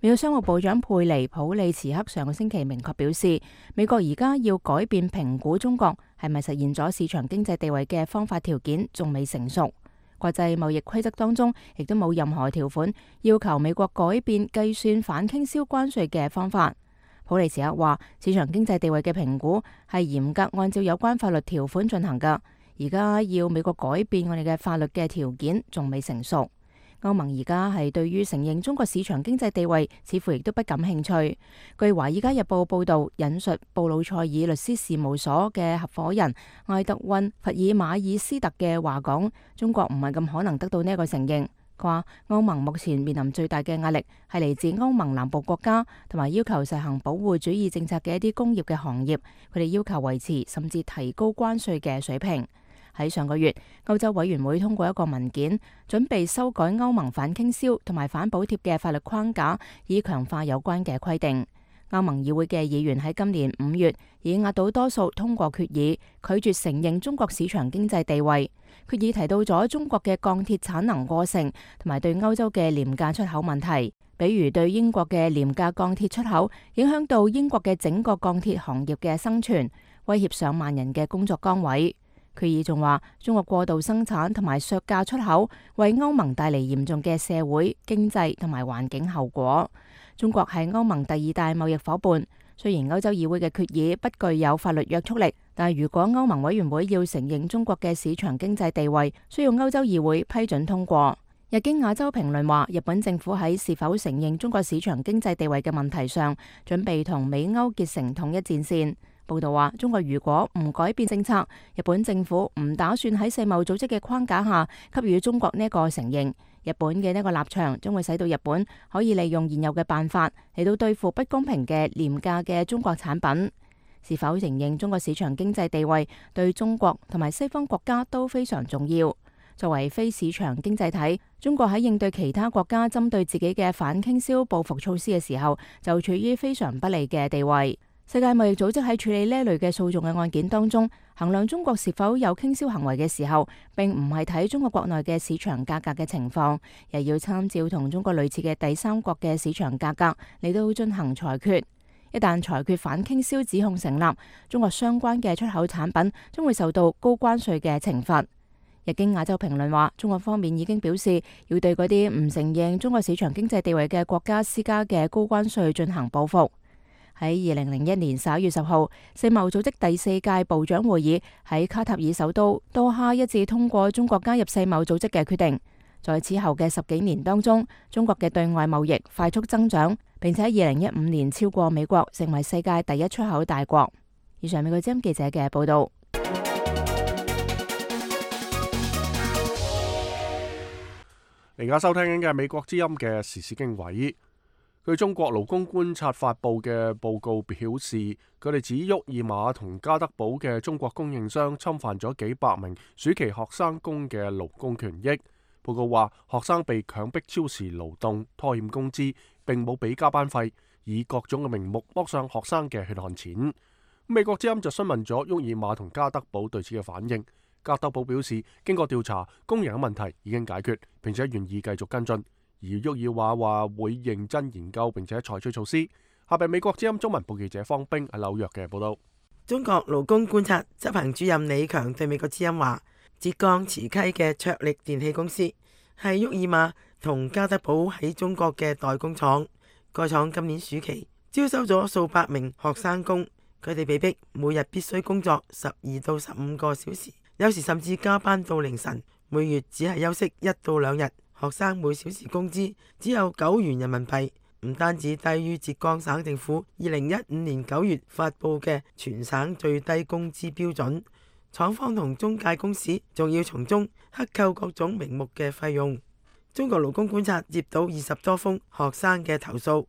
美國商務部長佩尼普利茨克上個星期明確表示，美國而家要改變評估中國係咪實現咗市場經濟地位嘅方法條件仲未成熟。國際貿易規則當中亦都冇任何條款要求美國改變計算反傾銷關稅嘅方法。普利茨克話，市場經濟地位嘅評估係嚴格按照有關法律條款進行㗎，而家要美國改變我哋嘅法律嘅條件仲未成熟。歐盟而家係對於承認中國市場經濟地位，似乎亦都不感興趣。據《華爾街日報》報導，引述布魯塞爾律師事務所嘅合夥人埃德溫·弗爾馬爾斯特嘅話講，中國唔係咁可能得到呢一個承認。佢話歐盟目前面臨最大嘅壓力係嚟自歐盟南部國家同埋要求實行保護主義政策嘅一啲工業嘅行業，佢哋要求維持甚至提高關稅嘅水平。喺上個月，歐洲委員會通過一個文件，準備修改歐盟反傾銷同埋反補貼嘅法律框架，以強化有關嘅規定。歐盟議會嘅議員喺今年五月以壓倒多數通過決議，拒絕承認中國市場經濟地位。決議提到咗中國嘅鋼鐵產能過剩，同埋對歐洲嘅廉價出口問題，比如對英國嘅廉價鋼鐵出口，影響到英國嘅整個鋼鐵行業嘅生存，威脅上萬人嘅工作崗位。決議仲話，中國過度生產同埋削價出口，為歐盟帶嚟嚴重嘅社會、經濟同埋環境後果。中國係歐盟第二大貿易夥伴，雖然歐洲議會嘅決議不具有法律約束力，但係如果歐盟委員會要承認中國嘅市場經濟地位，需要歐洲議會批准通過。日經亞洲評論話，日本政府喺是否承認中國市場經濟地位嘅問題上，準備同美歐結成統一戰線。報道話，中國如果唔改變政策，日本政府唔打算喺世貿組織嘅框架下給予中國呢一個承認。日本嘅呢個立場將會使到日本可以利用現有嘅辦法嚟到對付不公平嘅廉價嘅中國產品。是否承認中國市場經濟地位，對中國同埋西方國家都非常重要。作為非市場經濟體，中國喺應對其他國家針對自己嘅反傾銷報復措施嘅時候，就處於非常不利嘅地位。世界貿易組織喺處理呢類嘅訴訟嘅案件當中，衡量中國是否有傾銷行為嘅時候，並唔係睇中國國內嘅市場價格嘅情況，而要參照同中國類似嘅第三國嘅市場價格嚟到進行裁決。一旦裁決反傾銷指控成立，中國相關嘅出口產品將會受到高關稅嘅懲罰。日經亞洲評論話，中國方面已經表示要對嗰啲唔承認中國市場經濟地位嘅國家施加嘅高關稅進行報復。喺二零零一年十一月十號，世貿組織第四屆部長會議喺卡塔爾首都多哈一致通過中國加入世貿組織嘅決定。在此後嘅十幾年當中，中國嘅對外貿易快速增長，並且喺二零一五年超過美國，成為世界第一出口大國。以上美國之音記者嘅報道。而家收聽緊嘅係美國之音嘅時事經緯。據中國勞工觀察發布嘅報告表示，佢哋指沃爾瑪同加德堡嘅中國供應商侵犯咗幾百名暑期學生工嘅勞工權益。報告話，學生被強迫超時勞動、拖欠工資，並冇俾加班費，以各種嘅名目剝上學生嘅血汗錢。美國之音就詢問咗沃爾瑪同加德堡對此嘅反應。加德堡表示，經過調查，工人嘅問題已經解決，並且願意繼續跟進。而沃爾瑪話會認真研究並且採取措施。下邊美國之音中文部記者方冰喺紐約嘅報道。中國勞工觀察執行主任李強對美國之音話，浙江慈溪嘅卓力電器公司係沃爾瑪同加德堡喺中國嘅代工廠。該廠今年暑期招收咗數百名學生工，佢哋被逼每日必須工作十二到十五個小時，有時甚至加班到凌晨，每月只係休息一到兩日。學生每小時工資只有九元人民幣，唔單止低於浙江省政府二零一五年九月發布嘅全省最低工資標準，廠方同中介公司仲要從中克扣各種名目嘅費用。中國勞工觀察接到二十多封學生嘅投訴，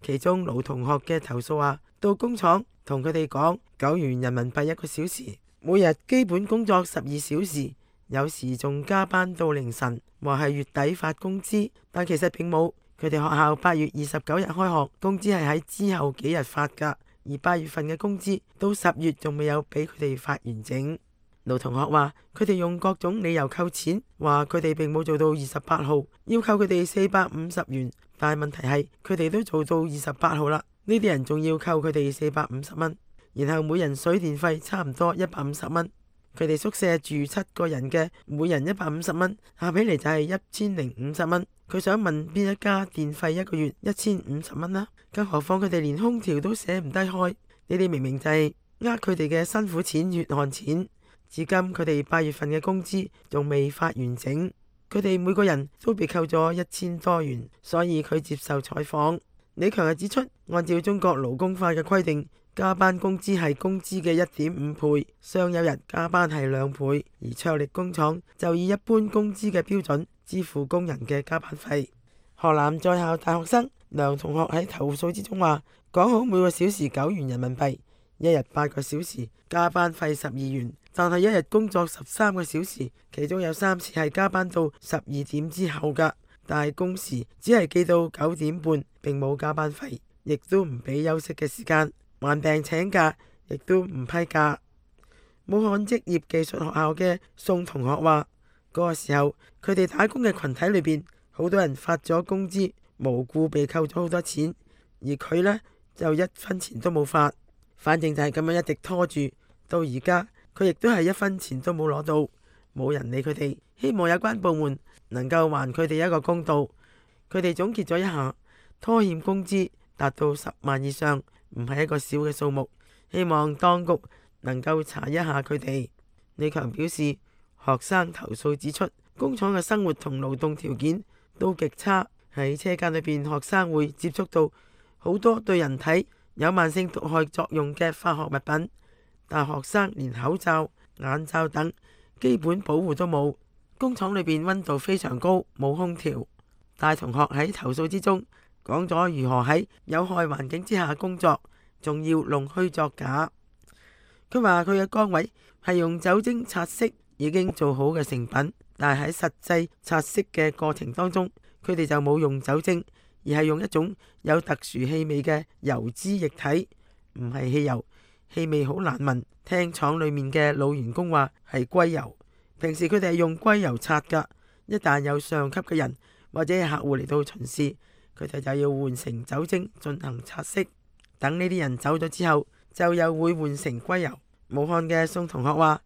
其中盧同學嘅投訴話，到工廠同佢哋講九元人民幣一個小時，每日基本工作十二小時，有時仲加班到凌晨，話係月底發工資，但其實並冇。佢哋學校八月二十九日開學，工資係喺之後幾日發㗎，而八月份嘅工資到十月仲未有俾佢哋發完整。盧同學話佢哋用各種理由扣錢，話佢哋並冇做到二十八號，要扣佢哋四百五十元，但係問題係佢哋都做到二十八號啦，呢啲人仲要扣佢哋四百五十蚊，然後每人水電費差唔多一百五十蚊。佢哋宿舍住七個人嘅，每人一百五十蚊，合起嚟就係一千零五十蚊。佢想問邊一家電費一個月一千五十蚊啦？更何況佢哋連空調都捨唔低開，你哋明明就係呃佢哋嘅辛苦錢、血汗錢。至今佢哋八月份嘅工資仲未發完整，佢哋每個人都被扣咗一千多元，所以佢接受採訪。李強又指出，按照中國勞工法嘅規定，加班工資係工資嘅一點五倍，雙休日加班係兩倍，而卓力工廠就以一般工資嘅標準支付工人嘅加班費。河南在校大學生梁同學喺投訴之中話，講好每個小時九元人民幣，一日八個小時，加班費十二元，但係一日工作十三個小時，其中有三次係加班到十二點之後㗎，但係工時只係記到九點半，並冇加班費，亦都唔俾休息嘅時間，患病請假亦都唔批假。武漢職業技術學校嘅宋同學話，嗰個時候佢哋打工嘅群體裏邊，好多人發咗工資，無故被扣咗好多錢，而佢呢，就一分錢都冇發，反正就係咁樣一直拖住，到而家佢亦都係一分錢都冇攞到，冇人理佢哋。希望有關部門能夠還佢哋一個公道。佢哋總結咗一下，拖欠工資達到十萬以上，唔係一個小嘅數目，希望當局能夠查一下佢哋。李強表示，學生投訴指出，工廠嘅生活同勞動條件都極差，喺車間裏邊，學生會接觸到好多對人體有慢性毒害作用嘅化學物品，但學生連口罩、眼罩等基本保護都冇。工廠裏邊溫度非常高，冇空調。大同學喺投訴之中講咗如何喺有害環境之下工作，仲要弄虛作假。佢話佢嘅崗位係用酒精擦拭已經做好嘅成品，但係喺實際擦拭嘅過程當中，佢哋就冇用酒精，而係用一種有特殊氣味嘅油脂液體，唔係汽油，氣味好難聞。聽廠裏面嘅老員工話係硅油，平時佢哋係用硅油擦噶，一旦有上級嘅人或者係客戶嚟到巡視，佢哋就要換成酒精進行擦拭。等呢啲人走咗之後，就又會換成硅油。武漢嘅宋同學話，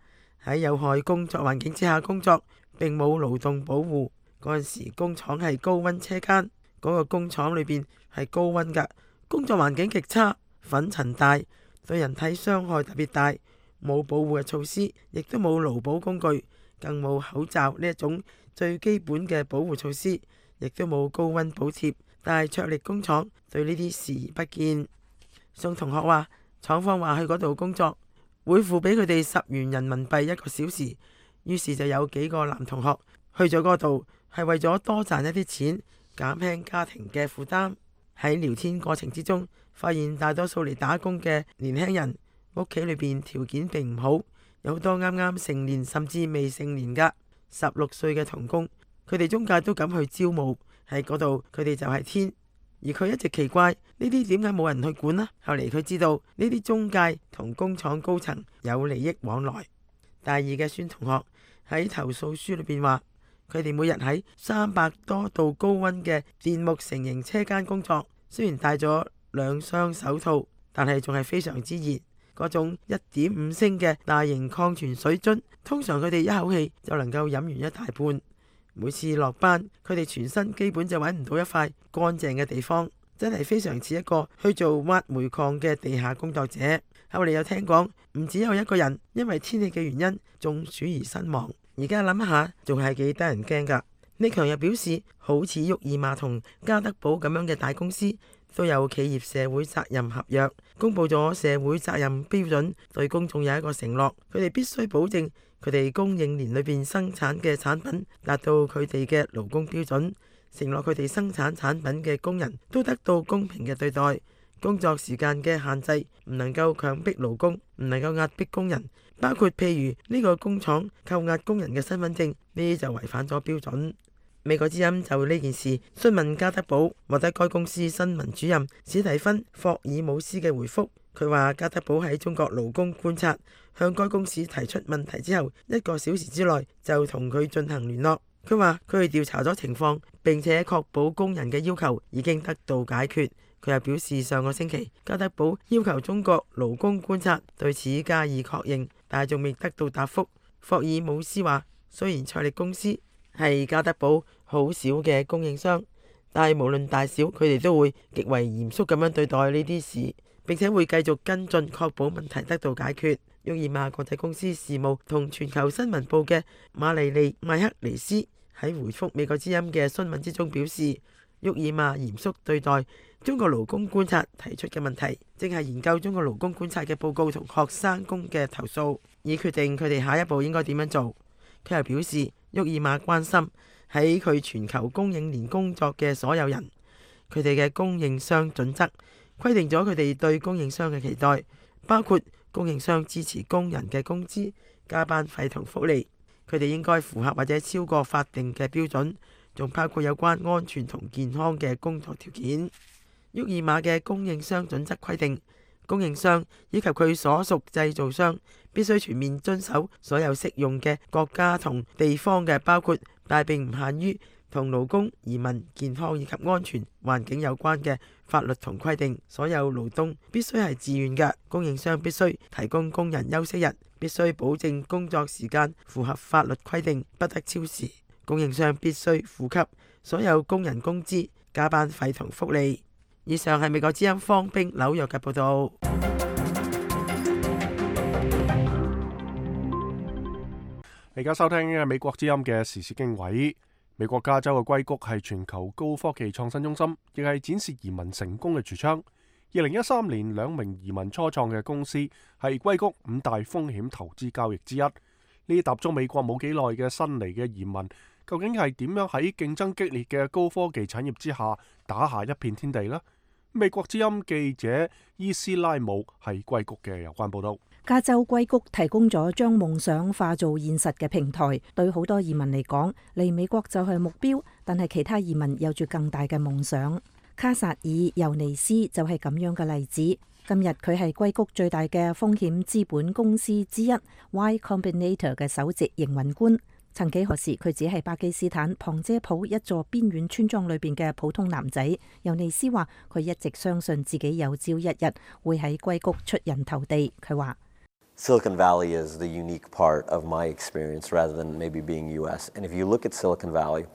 喺有害工作環境之下工作，並冇勞動保護。嗰陣時工廠係高溫車間，嗰個工廠裏邊係高溫噶，工作環境極差，粉塵大，對人體傷害特別大，冇保護嘅措施，亦都冇勞保工具，更冇口罩呢一種最基本嘅保護措施，亦都冇高溫補貼。但係卓力工廠對呢啲視而不見。宋同學話，廠方話去嗰度工作會付俾佢哋十元人民幣一個小時，於是就有幾個男同學去咗嗰度，係為咗多賺一啲錢，減輕家庭嘅負擔。喺聊天過程之中，發現大多數嚟打工嘅年輕人屋企裏邊條件並唔好，有好多啱啱成年甚至未成年噶十六歲嘅童工，佢哋中介都敢去招募，喺嗰度佢哋就係天。而佢一直奇怪呢啲點解冇人去管呢？後嚟佢知道呢啲中介同工廠高層有利益往來。大二嘅孫同學喺投訴書裏邊話，佢哋每日喺三百多度高溫嘅電木成型車間工作，雖然戴咗兩雙手套，但係仲係非常之熱。嗰種一點五升嘅大型礦泉水樽，通常佢哋一口氣就能夠飲完一大半。每次落班，佢哋全身基本就揾唔到一塊乾淨嘅地方，真係非常似一個去做挖煤礦嘅地下工作者。後嚟又聽講，唔只有一個人因為天氣嘅原因中暑而身亡。而家諗一下，仲係幾得人驚噶。李強又表示，好似沃爾瑪同加德寶咁樣嘅大公司，都有企業社會責任合約，公布咗社會責任標準，對公眾有一個承諾，佢哋必須保證佢哋供應鏈裏邊生產嘅產品達到佢哋嘅勞工標準，承諾佢哋生產產品嘅工人都得到公平嘅對待，工作時間嘅限制唔能夠強迫勞工，唔能夠壓迫工人，包括譬如呢個工廠扣押工人嘅身份證，呢啲就違反咗標準。美國之音就呢件事詢問加德寶，獲得該公司新聞主任史蒂芬霍爾姆斯嘅回覆。佢話加德寶喺中國勞工觀察向該公司提出問題之後，一個小時之內就同佢進行聯絡。佢話佢哋調查咗情況，並且確保工人嘅要求已經得到解決。佢又表示上個星期加德寶要求中國勞工觀察對此加以確認，但係仲未得到答覆。霍爾姆斯話，雖然卓力公司係加德寶好少嘅供應商，但係無論大小，佢哋都會極為嚴肅咁樣對待呢啲事，並且會繼續跟進，確保問題得到解決。沃爾瑪國際公司事務同全球新聞部嘅馬利利麥克尼斯喺回覆美國之音嘅詢問之中表示，沃爾瑪嚴肅對待中國勞工觀察提出嘅問題，正係研究中國勞工觀察嘅報告同學生工嘅投訴，以決定佢哋下一步應該點樣做。佢又表示，沃爾瑪關心喺佢全球供應鏈工作嘅所有人，佢哋嘅供應商準則規定咗佢哋對供應商嘅期待，包括供應商支持工人嘅工資、加班費同福利，佢哋應該符合或者超過法定嘅標準，仲包括有關安全同健康嘅工作條件。沃爾瑪嘅供應商準則規定，供應商以及佢所屬製造商必須全面遵守所有適用嘅國家同地方嘅，包括但並唔限於同勞工、移民、健康以及安全環境有關嘅法律同規定。所有勞動必須係自願嘅，供應商必須提供工人休息日，必須保證工作時間符合法律規定，不得超時。供應商必須付給所有工人工資、加班費同福利。以上係美國之音方冰紐約嘅報導。你而家收聽嘅美國之音嘅時事經緯。美國加州嘅硅谷係全球高科技創新中心，亦係展示移民成功嘅櫥窗。二零一三年，兩名移民初創嘅公司係硅谷五大風險投資交易之一。呢啲踏足美國冇幾耐嘅新嚟嘅移民，究竟係點樣喺競爭激烈嘅高科技產業之下打下一片天地呢？美國之音記者伊斯拉姆係硅谷嘅有關報道。加州硅谷提供咗將夢想化做現實嘅平台，對好多移民嚟講，嚟美國就係目標，但係其他移民有住更大嘅夢想。卡薩爾尤尼斯就係咁樣嘅例子。今日佢係硅谷最大嘅風險資本公司之一 Y Combinator 嘅首席營運官。曾幾何時，佢只係巴基斯坦旁遮普一座邊遠村莊裏邊嘅普通男仔。尤尼斯話佢一直相信自己有朝一日會喺硅谷出人頭地。佢話Silicon Valley is the unique part of my experience rather than maybe being U S. And if you look at Silicon Valley,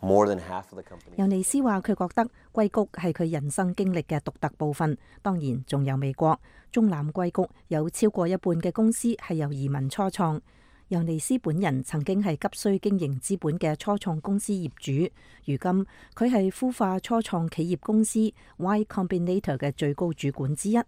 more than half of the companies. 尤尼斯話佢覺得硅谷係佢人生經歷嘅獨特部分，當然仲有美國。中南硅谷有超過一半嘅公司係由移民初創。尤尼斯本人曾經係急需經營資本嘅初創公司業主，如今佢係孵化初創企業公司 Y Combinator 嘅最高主管之一。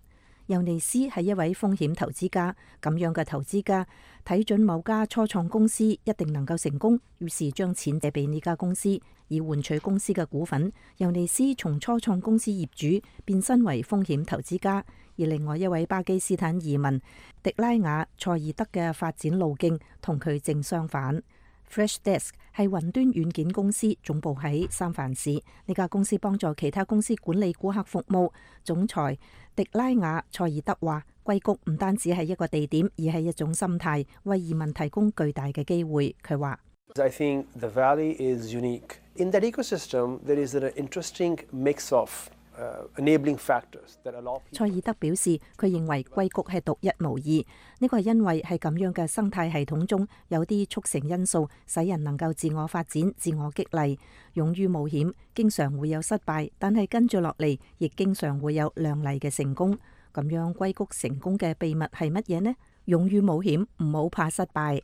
尤尼斯係一位風險投資家，咁樣嘅投資家睇準某家初創公司一定能夠成功，於是將錢借俾呢家公司，以換取公司嘅股份。尤尼斯從初創公司業主變身為風險投資家。而另外一位巴基斯坦移民迪拉雅塞爾德嘅發展路徑同佢正相反。Freshdesk 係雲端軟件公司，總部喺三藩市。呢家公司幫助其他公司管理顧客服務。總裁迪拉雅塞爾德話：硅谷唔單止係一個地點，而係一種心態，為移民提供巨大嘅機會。佢話：I think the valley is unique. In that ecosystem, there is an interesting mix of enabling factors that allow people. 塞爾德表示，佢認為硅谷係獨一無二，呢個係因為係咁樣嘅生態系統中有啲促成因素，使人能夠自我發展、自我激勵，勇於冒險，經常會有失敗，但係跟住落嚟，亦經常會有亮麗嘅成功。咁樣硅谷成功嘅秘密係乜嘢呢？勇於冒險，唔好怕失敗。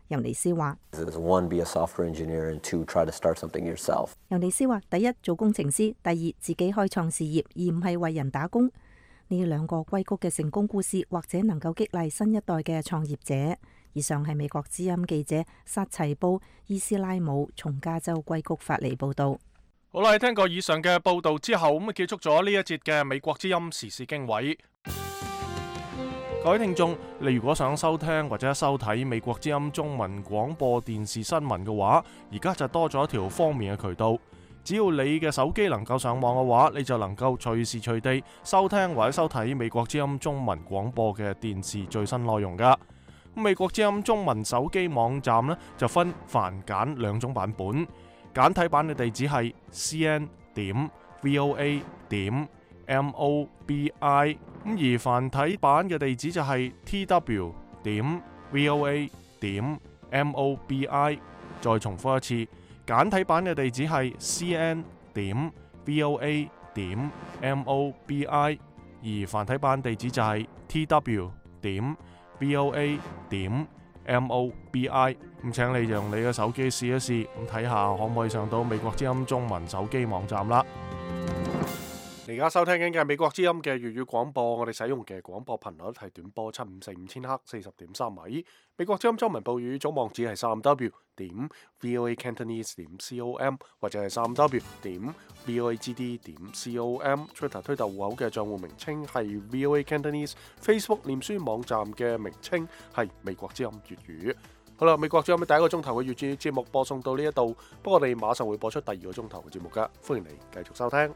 尤尼斯話：One, be a software engineer, and two, try to start something yourself. 尤尼斯話：第一，做工程師；第二，自己開創事業，而唔係為人打工。呢兩個硅谷嘅成功故事，或者能夠激勵新一代嘅創業者。以上係美國之音記者薩齊布伊斯拉姆從加州硅谷發嚟報道。好啦，聽過以上嘅報道之後，咁啊結束咗呢一節嘅美國之音時事經緯。各位聽眾，你如果想收聽或者收睇美國之音中文廣播電視新聞嘅話，而家就多咗一條方便嘅渠道。只要你嘅手機能夠上網嘅話，你就能夠隨時隨地收聽或者收睇美國之音中文廣播嘅電視最新內容噶。美國之音中文手機網站呢，就分繁簡兩種版本，簡體版嘅地址係 c n 點 v o a 點 m o b i。咁而繁體版嘅地址就係 t w 點 v o a 點 m o b i。再重複一次，簡體版嘅地址係 c n 點 v o a 點 m o b i。而繁體版地址就係 t w 點 V O A 點 M O B I。咁請你用你嘅手機試一試，咁睇下可唔可以上到美國之音中文手機網站啦。你而家收聽緊嘅美國之音嘅粵語廣播，我哋使用嘅廣播頻率係短波七五四五千赫四十點三米。美國之音中文報語總網址係三 W 點 V O A Cantonese 點 C O M 或者係三 W 點 V O A G D 點 C O M。Twitter 推特戶口嘅賬戶名稱係 V O A Cantonese。Facebook 臉書網站嘅名稱係美國之音粵語。好啦，美國之音第一個鐘頭嘅粵語節目播送到呢一度，不過我哋馬上會播出第二個鐘頭嘅節目噶，歡迎你繼續收聽。